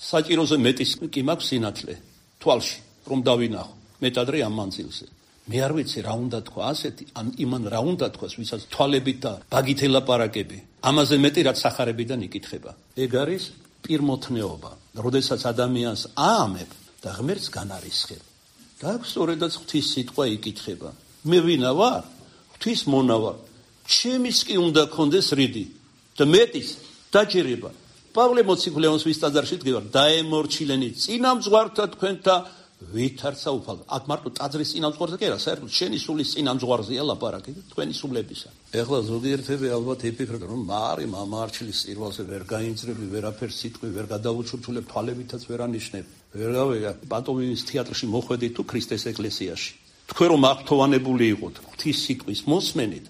საჭიროზე მეტის კი მაქვს სინათლე თვალში, რომ დავინახო მეტადრე ამ მანძილზე. მე არ ვიცი რა უნდა თქვა ასეთი, ან იმან რა უნდა თქვას, ვისაც თვალებით და ბაგით ელაპარაკები. ამაზე მეტი რაც სახარებიდან იკითხება. ეგ არის პირმოთნეობა. როდესაც ადამიანს აამებ და ღმერთს განარისხებ. და აქ სწორედაც ღვთის სიტყვა იკითხება. მე ვინა ვარ? ღვთის მონა ვარ. ჩემის კი უნდა კონდეს რიდი და მეტის დაჯერება. პავლე მოციქულეონს ვის ტაძარში დგევარ, დაემორჩილენი წინამძღვართა თქვენთა ვითარცა უფალო. აქ მარტო ტაძრის წინამძღვარზე კი არა, საერთოდ შენი სულის წინამძღვარზეა ლაპარაკი, თქვენი სულებისა. ეხლა ზოგიერთები ალბათ იფიქრებენ, რომ მარი მამაარჩილის წირვალზე ვერ გაინძრები, ვერაფერს სიტყვი ვერ გადავუჩურჩულებ, თვალებითაც ვერ ანიშნებ. ვერ გავიგე, პანტომიმის თეატრში მოხვედით თუ ქრისტეს ეკლესიაში. თქვენ რომ აღფრთოვანებული იყოთ ღვთის სიტყვის მოსმენით,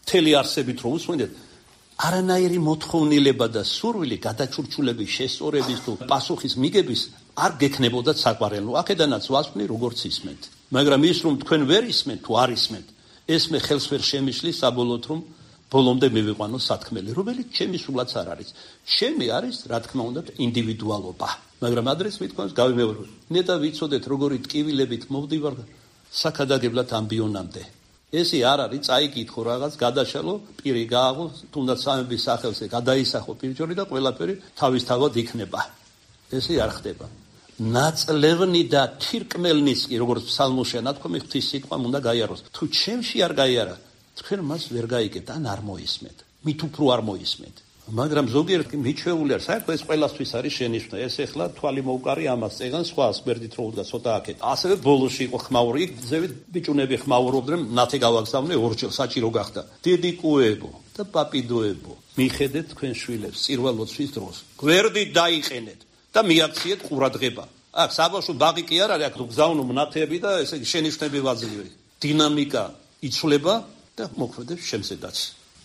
მთელი არსებით რომ უსმენდეთ, არანაირი მოთხოვნილება და სურვილი გადაჩურჩულების, შესწორების თუ პასუხის მიგების არ გექნებოდათ საყვარელო. აქედანაც ვასვვნი როგორც ისმენთ. მაგრამ ის რომ თქვენ ვერ ისმენთ თუ არ ისმენთ, ეს მე ხელს ვერ შემიშლის საბოლოოდ რომ ბოლომდე მივიყვანო სათქმელი, რომელიც ჩემი სულაც არ არის. ჩემი არის, რა თქმა უნდა, ინდივიდუალობა. მაგრამ ადრეს მithქვამს გავიმეორებ. ნეტა ვიცოდეთ როგორი ტკივილებით მოვდივარ საქადაგებლად ამბიონამდე. ესე არ არის, წაიკითხო რაღაც, გადაშალო, პირი გააღო, თუნდაც სამების სახელზე გადაისახო პირჯორი და ყველაფერი თავისთავად იქნება. ესე არ ხდება. ნაწლევნი და თირკმელნის კი როგორც ფსალმოშია ნათქვამი ღვთის სიტყვამ უნდა გაიაროს. თუ ჩემში არ გაიარა, თქვენ მას ვერ გაიგებთ, ან არ მოისმენთ. მით უფრო არ მოისმენთ. მაგრამ ზოგიერთ მიჩვეული არ, საერთოდ ეს ყველასთვის არის შენიშვნა. ეს ეხლა თვალი მოუკარი ამას წეგან სხვა სპერდით რო უდგა ცოტა აქეთ. ასევე ბოლოში იყო ხმაური, ზევით ბიჭუნები ხმაურობდნენ, ნათე გავაგზავნე ორჯერ საჭირო გახდა. დიდი კუებო და პაპიდოებო, მიხედეთ თქვენ შვილებს წირვალოცვის დროს. გვერდით დაიყენეთ და მიაქციეთ ყურადღება. აქ საბავშვო ბაღი კი არ არის, აქ გზავნო მნათეები და ესე იგი შენიშვნები ვაძლევი. დინამიკა იცვლება და მოქმედებს შემზედაც.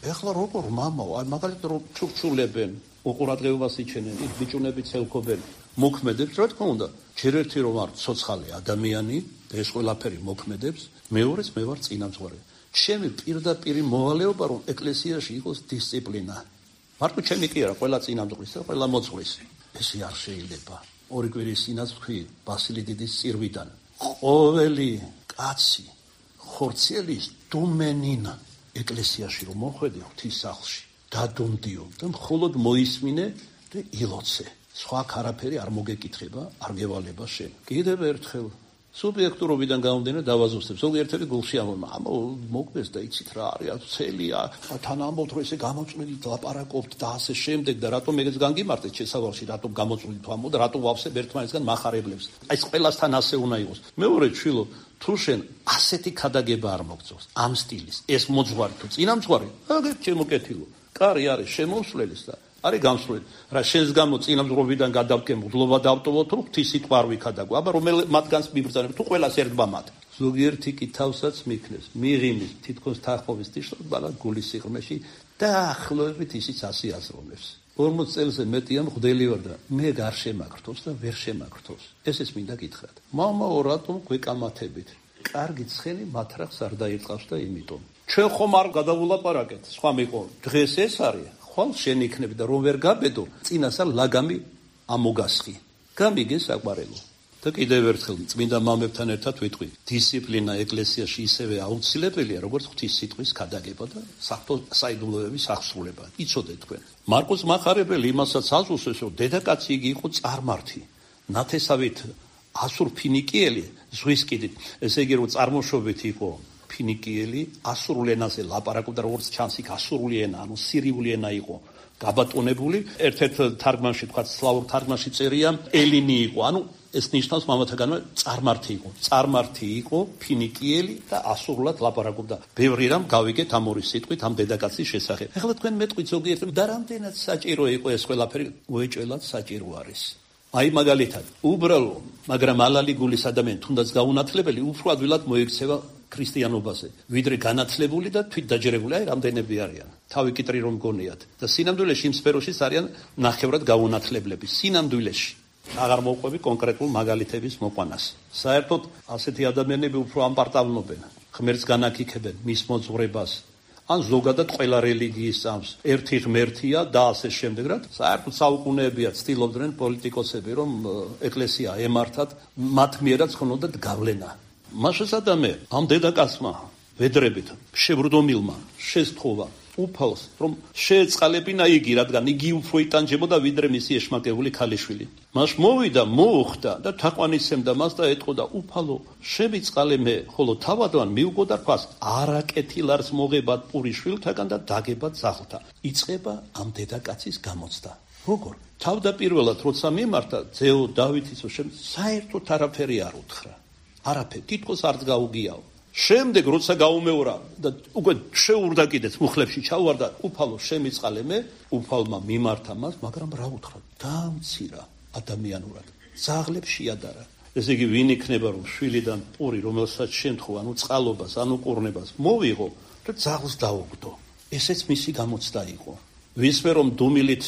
ეხლა როგორ მამაო, აი მაგალითად რომ ჩურჩულებენ, უყურადღებას იჩენენ, იქ ბიჭუნები ცელქობენ, მოქმედებს, რა თქმა უნდა, ჯერ ერთი რომ არ ცოცხალი ადამიანი, ეს ყველაფერი მოქმედებს, მეორეს მე ვარ წინამძღვარი. ჩემი პირდაპირი მოვალეობა რომ ეკლესიაში იყოს დისციპლინა. მარტო ჩემი კი არა, ყველა წინამძღვრის და ყველა მოძღვრის. ესე არ შეიძლება. ორი კვირის წინაც ვთქვი ბასილი დიდის წირვიდან. ყოველი კაცი ხორციელის დუმენინა ეკლესიაში რომ მოხვედე ღვთის სახლში, დადუმდიო და მხოლოდ მოისმინე და ილოცე. სხვა არაფერი არ მოგეკითხება, არ გევალება შენ. კიდევ ერთხელ სუბიექტურობიდან გამომდინარე დავაზუსტებ. ზოგიერთები გულში ამბობენ, ამო მოგდეს და იცით რა არის, ცელია, თან ამბობთ რომ ესე გამოწვევით, ლაპარაკობთ და ასე შემდეგ და რატომ ეგეც განგიმარტეთ შესავალში, რატომ გამოწვევით ამბობ და რატომ ვავსებ ერთმანეთსგან მახარებლებს. აი ეს ყველასთან ასე უნდა იყოს. მეორე ჩვილო, თუ შენ ასეთი ქადაგება არ მოგწევს, ამ სტილის, ეს მოძღვარი თუ წინამძღვარი, აგერ ჩემო კეთილო. კარი არის შემოსვლელის და არის გამსვლელი. რა შენს გამო წინამძღვრობიდან გადავკენ მღვდლობა დავტოვოთ, რომ ღვთის სიტყვა არ ვიქადაგო. აბა რომელ მათგანს მიბრძანებ, თუ ყველას ერთბა მათ. ზოგიერთი კი თავსაც მიქნეს, მიღიმის, თითქოს თახოვის ტიშს ბალად გულის სიღრმეში დაახლოებით ისიც ასე აზროვნებს. ორმოც წელზე მეტია მღვდელი ვარ და მე გარ შემაგრთობს და ვერ შემაგრთობს. ესეც მინდა გითხრათ. მამაო, რატომ გვეკამათებით? კარგი ცხენი მათრახს არ დაიწყავს და იმიტომ. ჩვენ ხომ არ გადავულაპარაკეთ, სხვა მიყო. დღეს ეს არის ხვალ შენ იქნები და რომ ვერ გაბედო, წინასა ლაგამი ამოგასხი. გამიგე საყვარელო. და კიდევ ერთხელ წმინდა მამებთან ერთად ვიტყვი, დისციპლინა ეკლესიაში ისევე აუცილებელია, როგორც ღვთის სიტყვის ქადაგება და საიდუმლოების აღსრულება. იცოდეთ თქვენ. მარკოს მახარებელი იმასაც აზუსებს, რომ დედაკაცი იგი იყო წარმართი. ნათესავით ასურ ფინიკიელი ზღვის კიდით, ესე იგი რომ წარმოშობით იყო ფინიკიელი, ასურულ ენაზე ლაპარაკობდა, როგორც ჩანს იქ ასურული ენა, ანუ სირიული ენა იყო გაბატონებული. ერთ-ერთ თარგმანში თქვა, სლავურ თარგმანში წერია, ელინი იყო, ანუ ეს ნიშნავს მამათაგანვე წარმართი იყო. წარმართი იყო, ფინიკიელი და ასურულად ლაპარაკობდა. ბევრი რამ გავიგეთ ამ ორი სიტყვით, ამ დედაკაცის შესახებ. ეხლა თქვენ მეტყვით ზოგიერთი და რამდენად საჭირო იყო ეს ყველაფერი, უეჭველად საჭირო არის. აი მაგალითად, უბრალო, მაგრამ ალალი გულის ადამიანი, თუნდაც გაუნათლებელი, უფრო ადვილად მოიქცევა ქრისტიანობაზე, ვიდრე განათლებული და თვით დაჯერებული, აი რამდენები არიან. თავი კიტრი რომ გონიათ და სინამდვილეში იმ სფეროშიც არიან ნახევრად გაუნათლებლები. სინამდვილეში აღარ მოყვები კონკრეტულ მაგალითების მოყვანას. საერთოდ ასეთი ადამიანები უფრო ამპარტავნობენ, ღმერთს განაკიქებენ, მის მოძღვრებას, ან ზოგადად ყველა რელიგიის წამს ერთი ღმერთია და ასე შემდეგ, რა. საერთოდ საუკუნეებია ცდილობდნენ პოლიტიკოსები, რომ ეკლესია ემართათ, მათ მიერაც ხნოდათ გავლენა. მაშასადამე ამ დედაკაცმა ვედრებით შევრდომილმა შესთხოვა უფალს, რომ შეეწყალებინა იგი, რადგან იგი უფრო იტანჯებოდა ვიდრე მისი ეშმაკებული ქალიშვილი. მას მოვიდა, მოუხდა და თაყვანისცემდა მას და ეტყოდა, უფალო, შემიწყალე მე, ხოლო თავადვან მივგო და რქვას, არაკეთილ არს მოღებად პური შვილთაგან და დაგებად ძაღლთა. იწყება ამ დედაკაცის გამოცდა. როგორ? თავდაპირველად როცა მიმართა ძეო დავითის საერთოდ არაფერი არ უთხრა. არაფერი, თითქოს არც გაუგიაო. შემდეგ როცა გაუმეორა და უკვე შეურდა კიდეც მუხლებში ჩაუვარდა, უფალო შემიწყალე მე, უფალმა მიმართა მას, მაგრამ რა უთხრა? დაამცირა ადამიანურად. ძაღლებს შეადარა. ესე იგი ვინ იქნება რომ შვილიდან პური, რომელსაც შემთხვევა, ანუ წყალობას, ანუ ყურნებას მოვიღო და ძაღლს დაუგდო. ესეც მისი გამოცდა იყო. ვისმე რომ დუმილით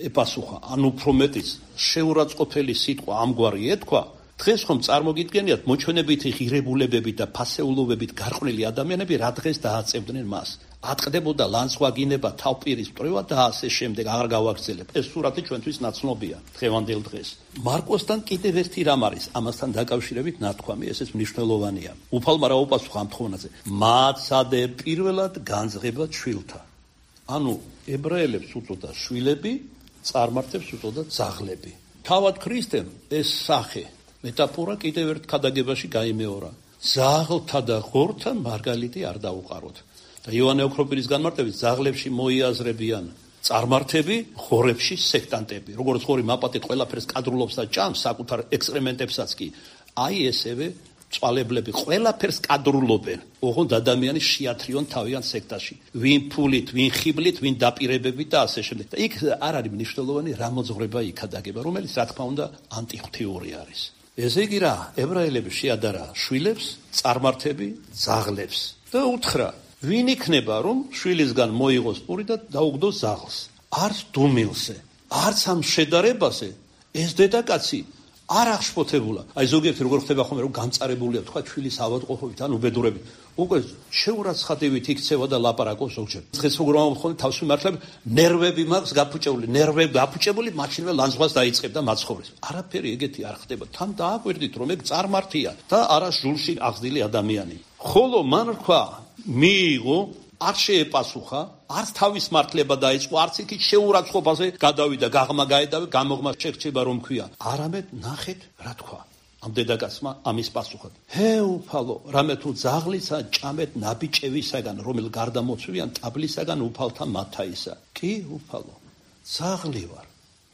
ეპასუხა, ანუ უფრო მეტიც შეურაცხყოფელი სიტყვა ამგვარი ეთქვა, დღეს ხომ წარმოგიდგენიათ მოჩვენებითი ღირებულებებით და ფასეულობებით გარყვნილი ადამიანები რა დღეს დააწევდნენ მას. ატყდებოდა ლანცვაგინება, თავპირის მტრევა და ასე შემდეგ, აღარ გავაგრძელებ. ეს სურათი ჩვენთვის ნაცნობია დღევანდელ დღეს. მარკოსთან კიდევ ერთი რამ არის, ამასთან დაკავშირებით ნათქვამი, ესეც მნიშვნელოვანია. უფალმა რა უპასუხა ამ თხოვნაზე? მაცადე პირველად განძღება შვილთა. ანუ ებრაელებს უწოდა შვილები, წარმართებს უწოდა ძაღლები. თავად ქრისტემ ეს სახე მეტაფორა კიდევ ერთ ქადაგებაში გაიმეორა. ძაღლთა და ღორთა მარგალიტი არ დაუყაროთ. და იოანე ოქროპირის განმარტებით ძაღლებში მოიაზრებიან წარმართები, ღორებში სექტანტები. როგორც ღორი მაპატით ყველაფერს კადრულობს და ჭამს საკუთარ ექსპერიმენტებსაც კი, აი ესევე წვალებლები ყველაფერს კადრულობენ. ოღონდ ადამიანი შეათრიონ თავიანთ სექტაში. ვინ ფულით, ვინ ხიბლით, ვინ დაპირებებით და ასე შემდეგ. და იქ არ არის მნიშვნელოვანი რა მოძღვრება იქადაგება, რომელიც რა თქმა უნდა ანტიღვთიური არის. ესე იგი რა, ებრაელები შეადარა შვილებს, წარმართები, ძაღლებს და უთხრა, ვინ იქნება რომ შვილისგან მოიღოს პური და დაუგდოს ძაღლს? არც დუმილზე, არც ამ შედარებაზე ეს დედაკაცი არ აღშფოთებულა. აი ზოგიერთი როგორ ხდება ხოლმე რომ გამწარებულია თქვა ჩვილის ავადმყოფობით ან უბედურებით. უკვე შეურაცხადებით იქცევა და ლაპარაკობს ზოგჯერ. დღეს როგორ ამბობ თავს მიმართლებ ნერვები მაქვს გაფუჭებული, ნერვები გაფუჭებული, მაშინვე ლანძღვას დაიწყებ და მაცხოვრებს. არაფერი ეგეთი არ ხდება. თან დააკვირდით რომ ეგ წარმართია და არა ჟულში აღზრდილი ადამიანი. ხოლო მან რქვა მიიღო არ შეეპასუხა, არც თავის მართლება დაიწყო, არც იქით შეურაცხყოფაზე გადავიდა, გაღმა გაედავე, გამოღმა შეგრჩება რომ ქვია. არამედ ნახეთ რა თქვა. ამ დედაკაცმა ამის პასუხად. ჰე უფალო, რამე თუ ძაღლისა ჭამეთ ნაბიჭევისაგან, რომელ გარდამოცვიან ტაბლისაგან უფალთა მათაისა. კი უფალო, ძაღლი ვარ,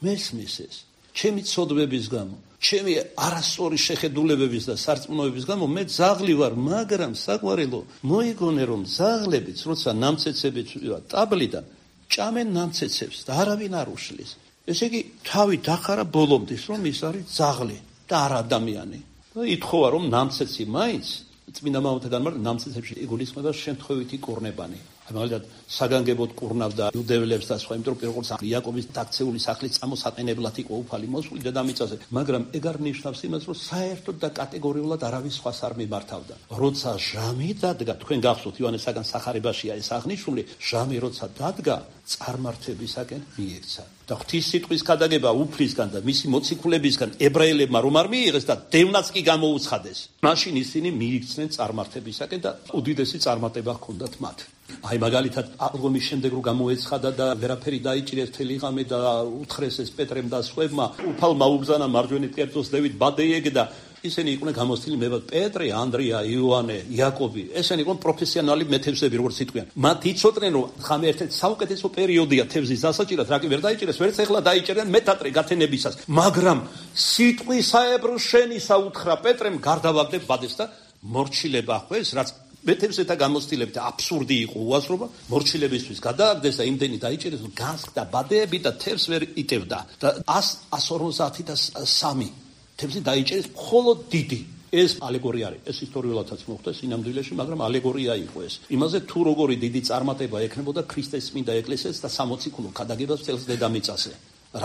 მესმის ეს. ჩემი ცოდვების გამო, ჩემი არასწორი შეხედულებების და სარწმუნოების გამო მე ძაღლი ვარ, მაგრამ საყვარელო, მოიგონე რომ ძაღლებიც, როცა ნამცეცებით ტაბლიდან ჭამენ ნამცეცებს და არავინ არ უშლის. ესე იგი, თავი დახარა ბოლომდის, რომ ის არის ძაღლი და არ ადამიანი. და ითხოვა რომ ნამცეცი მაინც წმინდა მამათა განმარტა ნამცეცებში იგულისხმება შემთხვევითი კურნებანი. მაგალითად საგანგებოდ კურნავდა იუდეველებს და სხვა, იმიტომ რომ პირველ რიგში იაკობის დაქცეული სახლით წამოსაყენებლად იყო უფალი მოსული დედამიწაზე, მაგრამ ეგ არ ნიშნავს იმას, რომ საერთოდ და კატეგორიულად არავის სხვას არ მიმართავდა. როცა ჟამი დადგა, თქვენ გახსოვთ ივანესაგან სახარებაშია ეს აღნიშნული, ჟამი როცა დადგა, წარმართებისაკენ მიექცა. და ღვთის სიტყვის ქადაგება უფლისგან და მისი მოციქულებისგან ებრაელებმა რომ არ მიიღეს და დევნაც კი გამოუცხადეს, მაშინ ისინი მიიქცნენ წარმართებისაკენ და უდიდესი წარმატება ჰქონდათ მათ. აი მაგალითად აღდგომის შემდეგ რომ გამოეცხადა და ვერაფერი დაიჭირეს მთელი ღამე და უთხრეს ეს პეტრემ და სხვებმა, უფალმა უბრძანა მარჯვენით კერძოს დევით ბადეიეგ და ისინი იყვნენ გამოცდილი მებად პეტრე, ანდრია, იოანე, იაკობი. ესენი იყვნენ პროფესიონალი მეთევზები, როგორც იტყვიან. მათ იცოდნენ რომ ღამე ერთ-ერთი საუკეთესო პერიოდია თევზის დასაჭირად, რა კი ვერ დაიჭირეს, ვერც ეხლა დაიჭერენ მეთატრე გათენებისას. მაგრამ სიტყვისაებრ შენისა უთხრა პეტრემ გარდავაგდებ ბადეს და მორჩილება ხვეს, რაც მეთევზეთა გამოცდილებით აბსურდი იყო უაზრობა, მორჩილებისთვის გადააგდეს და იმდენი დაიჭერეს, რომ განსხდა ბადეები და თევზს ვერ იტევდა და ას ორმოცდაათი და სამი თევზი დაიჭერეს მხოლოდ დიდი. ეს ალეგორია არის. ეს ისტორიულადაც მოხდა სინამდვილეში, მაგრამ ალეგორია იყო ეს. იმაზე თუ როგორი დიდი წარმატება ექნებოდა ქრისტეს წმინდა ეკლესიას და სამოციქულო ქადაგებას წელს დედამიწაზე.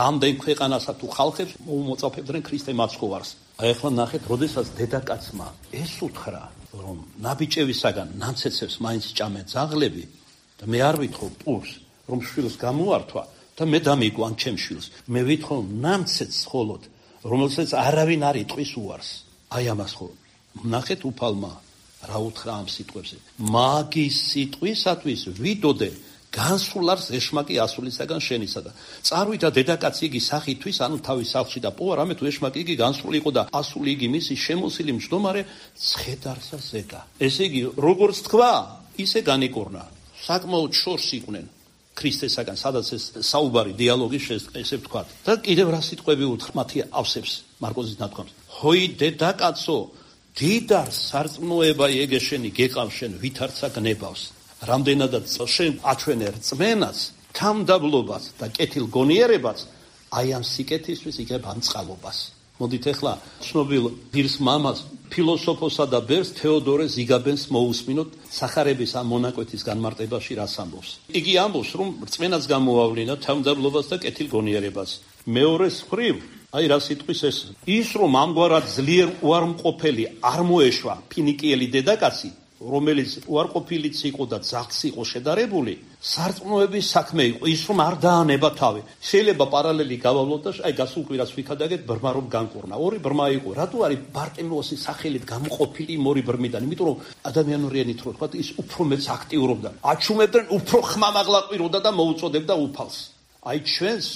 რამდენ ქვეყანასა თუ ხალხებს მოუმოწაფებდნენ ქრისტე მაცხოვარს. აი ახლა ნახეთ, როდესაც დედაკაცმა ეს უთხრა, რომ ნაბიჭევისაგან ნამცეცებს მაინც ჭამენ ძაღლები და მე არ ვითხოვ პურს, რომ შვილს გამოართვა და მე დამიგვან ან ჩემ შვილს. მე ვითხოვ ნამცეცს ხოლოდ, რომელსაც არავინ არ იტყვის უარს. აი ამას ხო ნახეთ უფალმა რა უთხრა ამ სიტყვებზე. მაგის სიტყვისათვის ვიდოდე განსულარს ეშმაკი ასულისაგან შენისა და წარვიდა დედაკაცი იგი სახითვის, ანუ თავის სახლში და პოვა, რამე თუ ეშმაკი იგი განსული იყო და ასული იგი მისი შემოსილი მჯდომარე ცხედარსა ზედა. ესე იგი, როგორც თქვა, ისე განიკორნა. საკმაოდ შორს იყვნენ ქრისტესაგან, სადაც ეს საუბარი დიალოგი ესე ვთქვათ. და კიდევ რა სიტყვები უთხრა მათი ავსებს მარკოზის ნათქვამს. ჰოი დედაკაცო, დიდარ სარწმუნოება იგეშენი გეყავ შენ ვითარცა გნებავს. რამდენადაც შენ აჩვენე რწმენას, თამდაბლობას და კეთილ გონიერებას, აი ამ სიკეთისთვის იგებ ამ წყალობას. მოდით ახლა ცნობილ ღირს მამას, ფილოსოფოსა და ბერს თეოდორე ზიგაბენს მოусმინოთ სახარების ამ მონაკვეთის განმარტებაში რას ამბობს. იგი ამბობს, რომ რწმენას გამოავლინა თამდაბლობას და კეთილ გონიერებას. მეორეს მხრივ, აი რა სიტყვის ეს, ის რომ ამგვარად ძლიერ უარმყოფელი არ მოეშვა ფინიკიელი დედაკაცი, რომელიც უარყოფილიც იყო და ძაღლს იყო შედარებული, სარწმუნოების საქმე იყო, ის რომ არ დაანება თავი. შეიძლება პარალელი გავავლოთ და აი გასულ კვირას ვიქადაგეთ ბრმა რომ განკურნა. ორი ბრმა იყო. რატო არის ბარტემეოსის სახელით გამოყოფილი ორი ბრმიდან? იმიტომ რომ ადამიანურიანით რო თქვა, ის უფრო მეც აქტიურობდა. აჩუმებდნენ, უფრო ხმამაღლაყიროდა და მოუწოდებდა უფალს. აი ჩვენს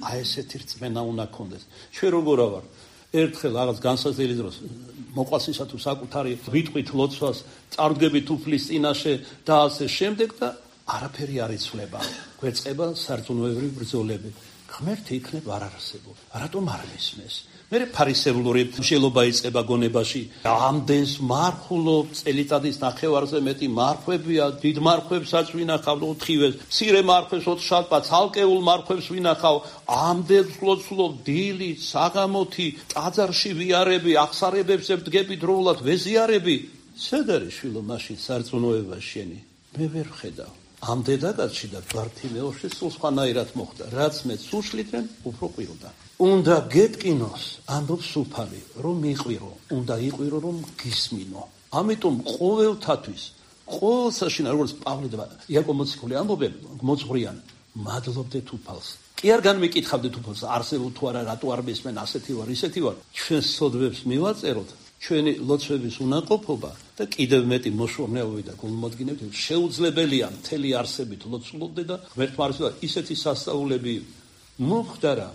აი ესეთი რწმენა უნდა გქონდეს. ჩვენ როგორ ვარ? ერთხელ რაღაც განსაზღვრელი დროს მოყვასისა თუ საკუთარი ვიტყვით ლოცვას, წარდგებით უფლის წინაშე და ასე შემდეგ და არაფერი არ იცვლება. გვეწყება სარწმუნოებრივი ბრძოლები. ღმერთი იქნებ არ არსებობს. რატომ არ მისმეს? მე ფარისევლური მშელობა იწყება გონებაში. ამდენს მარხულობ, წელიწადის ნახევარზე მეტი მარხვებია, დიდ მარხვებსაც ვინახავ ოთხივეს, მცირე მარხვებს ოთხშაბათს, ცალკეულ მარხვებს ვინახავ, ამდენს ლოცულობ, დილით, საღამოთი, ტაძარში ვიარები, აღსარებებს ვდგები დროულად, ვეზიარები. სად არის შვილო მაშინ სარწმუნოება შენი? მე ვერ ვხედავ. ამ დედაკაცში და ბართიმეოში სულ სხვანაირად მოხდა. რაც მეც უშლიდნენ, უფრო ყვიროდა. უნდა გეტკინოს, ამბობს უფალი, რომ მიყვირო, უნდა იყვირო, რომ გისმინო. ამიტომ ყოველთათვის, ყოველ საშინა, როგორც პავლე და იაკობ მოციქული ამბობენ, მოძღვრიან, მადლობდეთ უფალს. კი არ განმიკითხავდეთ უფალს, არსებობ თუ არა, რატო არ მისმენ, ასეთი ვარ, ისეთი ვარ. ჩვენ სოდვებს მივაწეროთ, ჩვენი ლოცვების უნაყოფობა და კიდევ მეტი მოშორნეობები და გულმოდგინებები შეუძლებელია მთელი არსებით ლოცულობდე და ღმერთმა არ იცოდა ისეთი სასწაულები მომხდარა,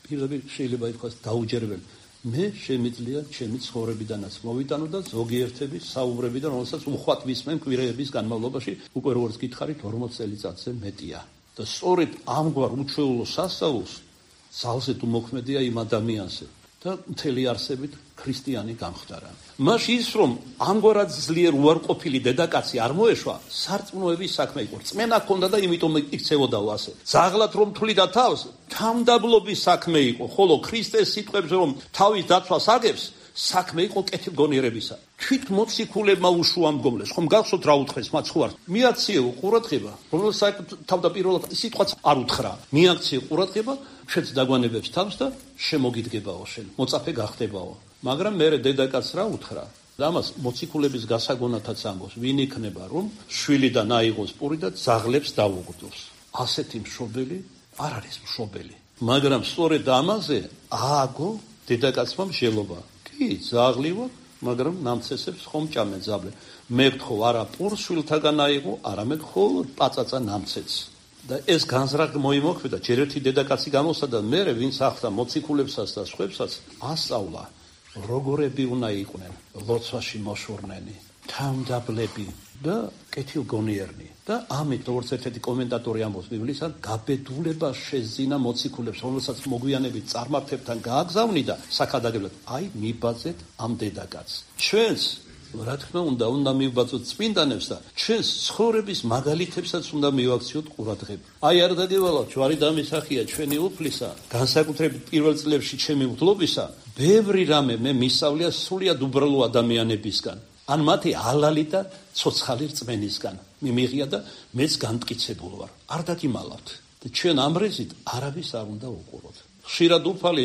პირდაპირ შეიძლება ითქვას დაუჯერებელი. მე შემიძლია ჩემი ცხოვრებიდანაც მოვიტანო და ზოგიერთების საუბრებიდან, რომელსაც უხვად ვისმენ კვირეების განმავლობაში, უკვე როგორც გითხარით, ორმოც წელიწადზე მეტია. და სწორედ ამგვარ უჩვეულო სასწაულს ძალზე თუ მოქმედია იმ ადამიანზე და მთელი არსებით ქრისტიანი გამხდარა. მაშინ ის რომ ამგვარად ძლიერ უარყოფილი დედაკაცი არ მოეშვა, სარწმუნოების საქმე იყო. რწმენა ჰქონდა და იმიტომ იქცევოდაო ასე. ზაღლად რომ თვლიდა თავს, თამდაბლობის საქმე იყო, ხოლო ქრისტეს სიტყვებზე რომ თავის დაცვას აგებს, საქმე იყო კეთილგონიერებისა. თვით მოციქულებმა უშუამდგომლეს, ხომ გახსოვთ რა უთხრეს მათ ხო არ? მიაქციეო ყურადღება, რომელსაც თავდაპირველად სიტყვაც არ უთხრა. მიაქციე ყურადღება, ჩვენც დაგვანებებს თავს და შემოგიდგებაო შენ, მოწაფე გახდებაო. მაგრამ მე დედაკაცს რა უთხრა? და ამას მოციქულების გასაგონათაც ამბობს, ვინ იქნება რომ შვილიდან აიღოს პური და ძაღლებს დაუგდოს. ასეთი მშობელი არ არის მშობელი. მაგრამ სწორედ ამაზე ააგო დედაკაცმა მსჯელობა. კი, ძაღლი ვარ, მაგრამ ნამცესებს ხომ ჭამე ძაბლე. მე გთხოვ არა პურს შვილთაგან აიღო, არამედ ხოლო პაწაწა ნამცეც. და ეს განზრახ მოიმოქმედა, ჯერ ერთი დედაკაცი გამოსა და მე ვინც ახდა მოციქულებსაც და სხვებსაც ასწავლა, როგორები უნდა იყვნენ ლოცვაში მოშორნენი, თამდაბლები და კეთილგონიერნი. და ამით, როგორც ერთ-ერთი კომენტატორი ამბობს ბიბლიისგან, გაბედულება შეზინა მოციქულებს, რომელსაც მოგვიანებით წარმართებთან გააგზავნი და საქადაგებლად, აი მიბაძეთ ამ დედაკაცს. ჩვენს რა თქმა უნდა, უნდა მივბაძოთ წმინდანებს და ჩვენს ცხოვრების მაგალითებსაც უნდა მივაქციოთ ყურადღება. აი არ დაგევალავთ, ჯვარი დამისახია ჩვენი უფლისა, განსაკუთრებით პირველ წლებში ჩემი მგლობისა, ბევრი რამე მე მისავლია სულიად უბრალო ადამიანებისგან. ან მათი ალალი და ცოცხალი რწმენისგან მიმიღია და მეც განმტკიცებულ ვარ. არ დაგიმალავთ. და ჩვენ ამ რეზით არავის არ უნდა უყუროთ. ხშირად უფალი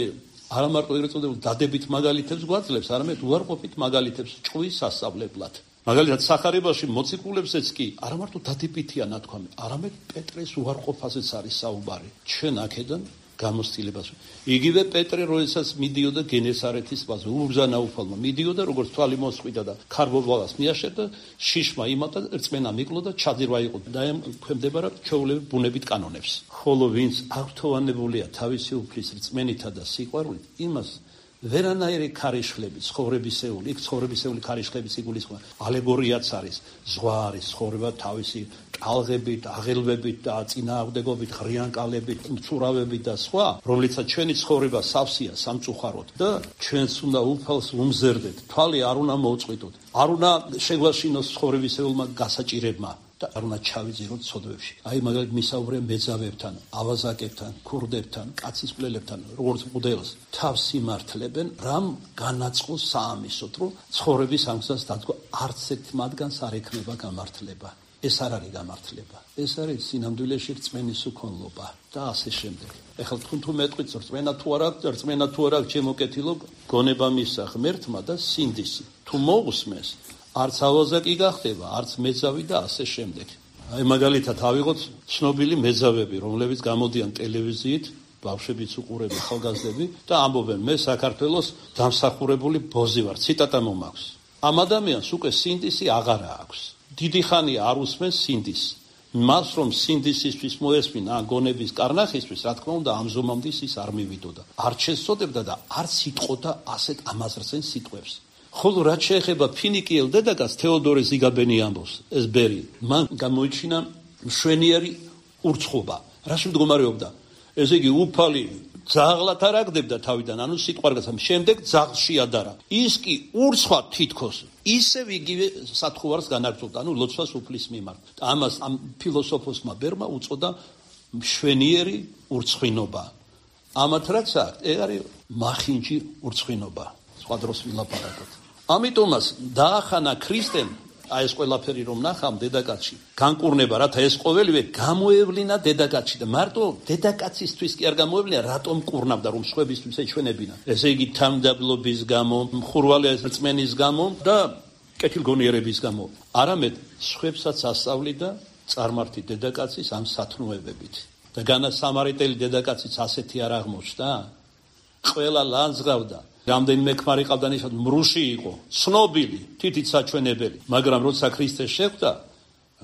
არა მარტო ეგრეთ წოდებულ დადებით მაგალითებს გვაძლევს, არამედ უარყოფით მაგალითებს ჭყვის სასწავლებლად. მაგალითად სახარებაში მოციქულებსაც კი არა მარტო დადებითია ნათქვამი, არამედ პეტრეს უარყოფაზეც არის საუბარი. ჩვენ აქედან გამოცდილებას. იგივე პეტრე, როდესაც მიდიოდა გენესარეთის ტბაზე, უბრძანა უფალმა, მიდიოდა, როგორც თვალი მოსყვიდა და ქარბოვალას მიაშერდა, შიშმა იმატა, რწმენა მიკლო და ჩაძირვა იყო და ქვემდებარა ჩვეულებრივ ბუნებით კანონებს. ხოლო ვინც აღთოვანებულია თავისი უფლის რწმენითა და სიყვარულით, იმას ვერანაირი ქარიშხლები, ცხოვრებისეული, იქ ცხოვრებისეული ქარიშხლების იგულისხმება, ალეგორიაც არის, ზღვა არის, ცხოვრება თავისი ტალღებით, აღელვებით და წინააღმდეგობით, ღრიანკალებით, მცურავებით და სხვა, რომლიცაც ჩვენი ცხოვრება სავსეა სამწუხაროდ და ჩვენს უნდა უფალს უმზერდეთ, თვალი არ უნდა მოუწყვიტოთ, არ უნდა შეგვაშინოს ცხოვრებისეულმა გასაჭირებმა და არ უნდა ჩავიძიროთ ცოდვებში. აი მაგალითად მისაუბრე მეძავებთან, ავაზაკებთან, ქურდებთან, კაცისყვლელებთან, როგორც მოდელს თავს იმართლებენ, რამ განაწყოს საამისოდ, რომ ცხოვრების ამ გზას დადგა არც ერთ მათგანს არ ექნება გამართლება. ეს არ არის გამართლება. ეს არის სინამდვილეში რწმენის უქონლობა და ასე შემდეგ. ეხლა თქვენ თუ მეტყვით რწმენა თუ არა, რწმენა თუ არა ჩემოკეთილო, გონება მისცა ღმერთმა და სინდისი. თუ მოусმეს არც ავაზაკი გახდება, არც მეძავი და ასე შემდეგ. აი მაგალითად ავიღოთ ცნობილი მეძავები, რომლებიც გამოდიან ტელევიზიით, ბავშვებიც უყურებენ, ახალგაზრდები და ამბობენ, მე საქართველოს დამსახურებული ბოზი ვარ, ციტატა მომაქვს. ამ ადამიანს უკვე სინდისი აღარა აქვს. დიდი ხანია არ უსმენს სინდისს. მას რომ სინდისისთვის მოესმინა ან გონების კარნახისთვის, რა თქმა უნდა, ამ ზომამდე ის არ მივიდოდა. არ შესწოდებდა და არც იტყოდა ასეთ ამაზრცენ სიტყვებს. ხოლო რაც შეეხება ფინიკიელ დედაკაცს, თეოდორე ზიგაბენი ამბობს, ეს ბერი, მან გამოიჩინა მშვენიერი ურცხობა. რაში მდგომარეობდა? ესე იგი, უფალი ძაღლად არ აგდებდა თავიდან, ანუ სიტყვარგასა, შემდეგ ძაღლს შეადარა. ის კი ურცხვად თითქოს ისევ იგივე სათხოვარს განაგრძობდა, ანუ ლოცვას უფლის მიმართ. ამას ამ ფილოსოფოსმა ბერმა უწოდა მშვენიერი ურცხვინობა. ამათ რაც აქვს, ეგ არის მახინჯი ურცხვინობა. სხვა დროს ვილაპარაკოთ. ამიტომაც დაახანა ქრისტემ აი ეს ყველაფერი რომ ნახავ დედაკაცში განკურნება, რათა ეს ყოველივე გამოევლინა დედაკაცში და მარტო დედაკაცისთვის კი არ გამოევლინა, რატომ კურნავდა რომ სხვებისთვის ეჩვენებინა. ესე იგი თამდაბლობის გამო, მხურვალე რწმენის გამო და კეთილგონიერების გამო. არამედ სხვებსაც ასწავლიდა წარმართი დედაკაცის ამ სათნოებებით. და განა სამარიტელი დედაკაციც ასეთი არ აღმოჩნდა. ყველა ლანძღავდა. რამდენიმე ქმარი ყავდა, ნიშნად მრუში იყო, ცნობილი, თითით საჩვენებელი, მაგრამ როცა ქრისტე შეხვდა,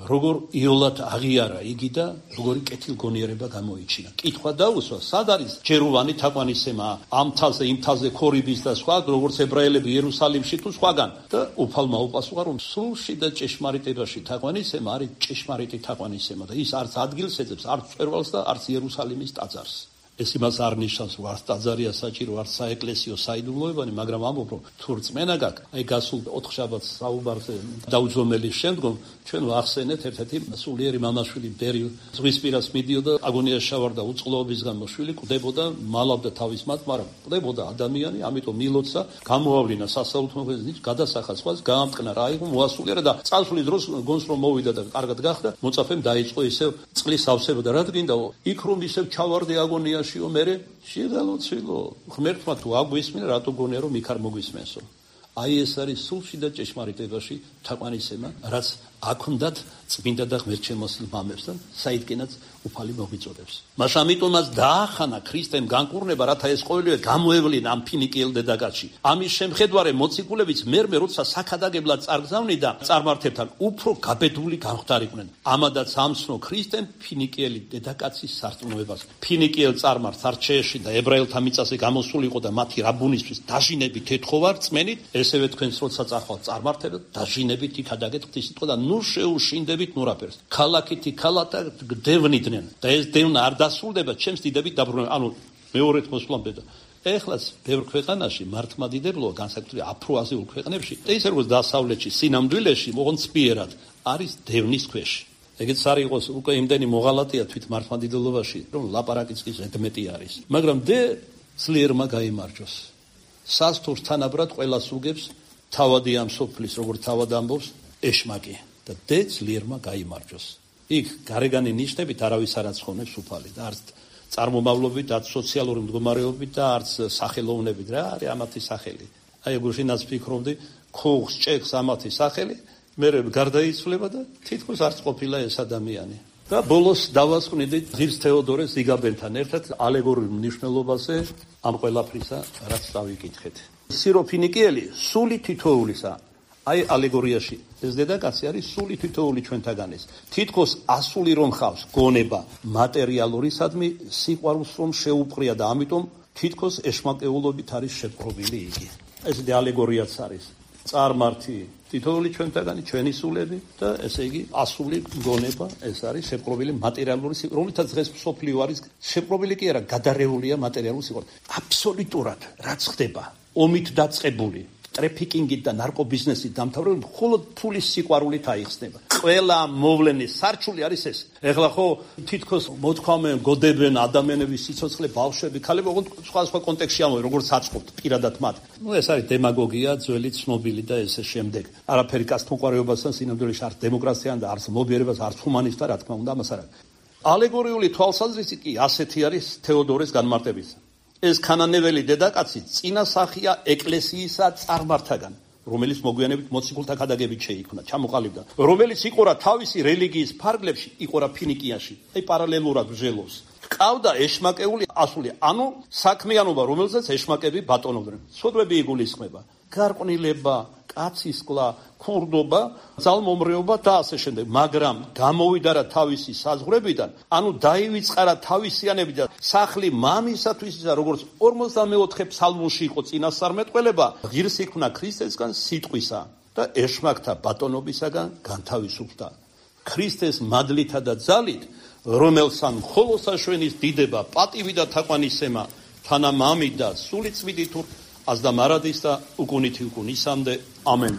როგორ იოლად აღიარა იგი და როგორი კეთილგონიერება გამოიჩინა. კითხვა დაუსვა, სად არის ჯეროვანი თაყვანისცემა ამ თალზე, იმ თალზე ქორიბის და სხვა, როგორც ებრაელები იერუსალიმში თუ სხვაგან. და უფალმა უპასუხა, რომ სულში და ჭეშმარიტებაში თაყვანისცემა არის ჭეშმარიტი თაყვანისცემა და ის არც ადგილს ეძებს, არც მწვერვალს და არც იერუსალიმის ტაძარს. ეს იმას არ ნიშნავს, რომ არც ტაძარია საჭირო, არც საეკლესიო საიდუმლოებანი, მაგრამ ამბობ, რომ თუ რწმენა გაქვს, აი გასულ ოთხშაბათს საუბარზე დაუძომელის შემდგომ ჩვენ ვახსენეთ ერთ-ერთი სულიერი მამაშვილი ბერი ზღვისპირას მიდიოდა, აგონიაში ჩავარდა უწყლოების გამო, შვილი კვდებოდა, მალავდა თავის მათ, მაგრამ კვდებოდა ადამიანი, ამიტომ მილოცა, გამოავლინა სასაუთმოქმედების გადასახა სხვას, გაამტკნა რა იყო, მოასულიერა და წასვლის დროს გონს რომ მოვიდა და კარგად გახდა, მოწაფემ დაიწყო ისევ წყლის ავსება და რა გინდაო, იქ რომ ისევ ჩავარდი აგონიაში მერე შეღალოცილო ღმერთმა თუ აგვისმინა რატო გონია რომ იქ არ მოგვისმენსო. აი ეს არის სულში და ჭეშმარიტებაში თაყვანისცემა, რაც აქ წმინდა და ღმერთშემოსილ მამებს და საიდკენაც უფალი მოგვიწოდებს. მას ამიტომაც დაახანა ქრისტემ განკურნება, რათა ეს ყოველივე გამოევლინა ამ ფინიკიელ დედაკაცში. ამის შემხედვარე მოციქულებიც მერმე როცა საქადაგებლად წარგზავნიდა წარმართებთან უფრო გაბედული გამხდარიყვნენ. ამადაც ამცნო ქრისტემ ფინიკიელი დედაკაცის სარწმუნოებას. ფინიკიელ წარმართს არჩეში და ებრაელთა მიწაზე გამოსულიყო და მათი რაბუნისთვის დაჟინებით ეთხოვა რწმენით, ესევე თქვენს როცა წახვალთ წარმართებად დაჟინებით იქადაგეთ ღვთისმსიტყვა და ნუ შეუშინდებით ნურაფერს. ქალაქითი ქალათა გდევნიდნენ და ეს დევნა არ დასრულდება ჩემს დიდებით დაბრუნება. ანუ მეორედ მოსვლამდე და ეხლაც ბევრ ქვეყანაში მართლმადიდებლობა განსაკუთრებით აფროაზიულ ქვეყნებში და ისე როგორც დასავლეთში, სინამდვილეში, ოღონდ სპიერად არის დევნის ქვეშ. ეგეც არ იყოს უკვე იმდენი მოღალატეა თვით მართლმადიდებლობაში, რომ ლაპარაკიც კი ზედმეტი არის. მაგრამ დე ძლიერმა გაიმარჯოს. სასთურს თანაბრად ყველას უგებს თავადი ამ სოფლის, როგორც თავად ამბობს, ეშმაკი და დე ძლიერმა გაიმარჯოს. იქ გარეგანი ნიშნებით არავის არ აცხონებს უფალი და არც წარმომავლობით, არც სოციალური მდგომარეობით და არც სახელოვნებით რა არის ამათი სახელი. აი ეგუშინაც ფიქრობდი, ქუღს ჭექს ამათი სახელი, მე გარდაიცვლება და თითქოს არც ყოფილა ეს ადამიანი. და ბოლოს დავასკვნიდი ღირს თეოდორეს ზიგაბენთან ერთად ალეგორიულ მნიშვნელობაზე ამ ყველაფრისა, რაც დავიკითხეთ. სირო ფინიკიელი სული თითოეულისა. აი ალეგორიაში ეს დედაკაცი არის სული თითოეული ჩვენთაგანის. თითქოს ასული რომ ხავს გონება მატერიალურისადმი სიყვარულს რომ შეუპყრია და ამიტომ თითქოს ეშმაკეულობით არის შეპყრობილი იგი. ეს ალეგორიაც არის. წარმართი თითოეული ჩვენთაგანი ჩვენი სულები და ესე იგი ასული გონება ეს არის შეპყრობილი მატერიალური სიყვარული, რომლითაც დღეს მსოფლიო არის შეპყრობილი კი არა, გადარეულია მატერიალური სიყვარული. აბსოლუტურად რაც ხდება, ომით დაწყებული ტრეფიკინგით და ნარკობიზნესით დამთავრებული მხოლოდ ფულის სიყვარულით აიხსნება. ყველა მოვლენის სარჩული არის ეს. ეხლა ხო თითქოს მოთქვამენ, გოდებენ ადამიანების სიცოცხლე, ბავშვები, ქალები, ოღონდ სხვა სხვა კონტექსტში ამბობენ, როგორც აწყობთ პირადად მათ. ნუ ეს არის დემაგოგია, ძველი ცნობილი და ესე შემდეგ. არაფერი კაცთმოყვარეობასთან, სინამდვილეში არც დემოკრატიასთან და არც მობიერებას, არც ჰუმანიზმთან, რა თქმა უნდა, ამას არ აქვს. ალეგორიული თვალსაზრისით კი ასეთი არის თეოდორეს განმარტებისა. ეს ქანანეველი დედაკაცი წინასახია ეკლესიისა წარმართაგან, რომელიც მოგვიანებით მოციქულთა ქადაგებით შეიქმნა, ჩამოყალიბდა, რომელიც იყურა თავისი რელიგიის ფარგლებში, იყურა ფინიკიაში, აი პარალელურად ბრძოლობს. ყავდა ეშმაკეული ასული, ანუ საქმიანობა, რომელზეც ეშმაკები ბატონობდნენ. სოდვები იგულისხმება, გარყვნილება, კაცისკლა, ქურდობა, ძალმომრეობა და ასე შემდეგ. მაგრამ გამოვიდა რა თავისი საზღვრებიდან, ანუ დაივიწყარა თავისიანები და სახლი მამისათვის ისა, როგორც ორმოცდამეოთხე ფსალმუნში იყო წინასწარმეტყველება, ღირს იქნა ქრისტესგან სიტყვისა და ეშმაკთა ბატონობისაგან განთავისუფლდა. ქრისტეს მადლითა და ძალით, რომელსან მხოლოდ საშვენის დიდება, პატივი და თაყვანისცემა, თანამამით და სული წმინდით აზდა მარადის და უკუნითი უკუნისამდე. ამენ.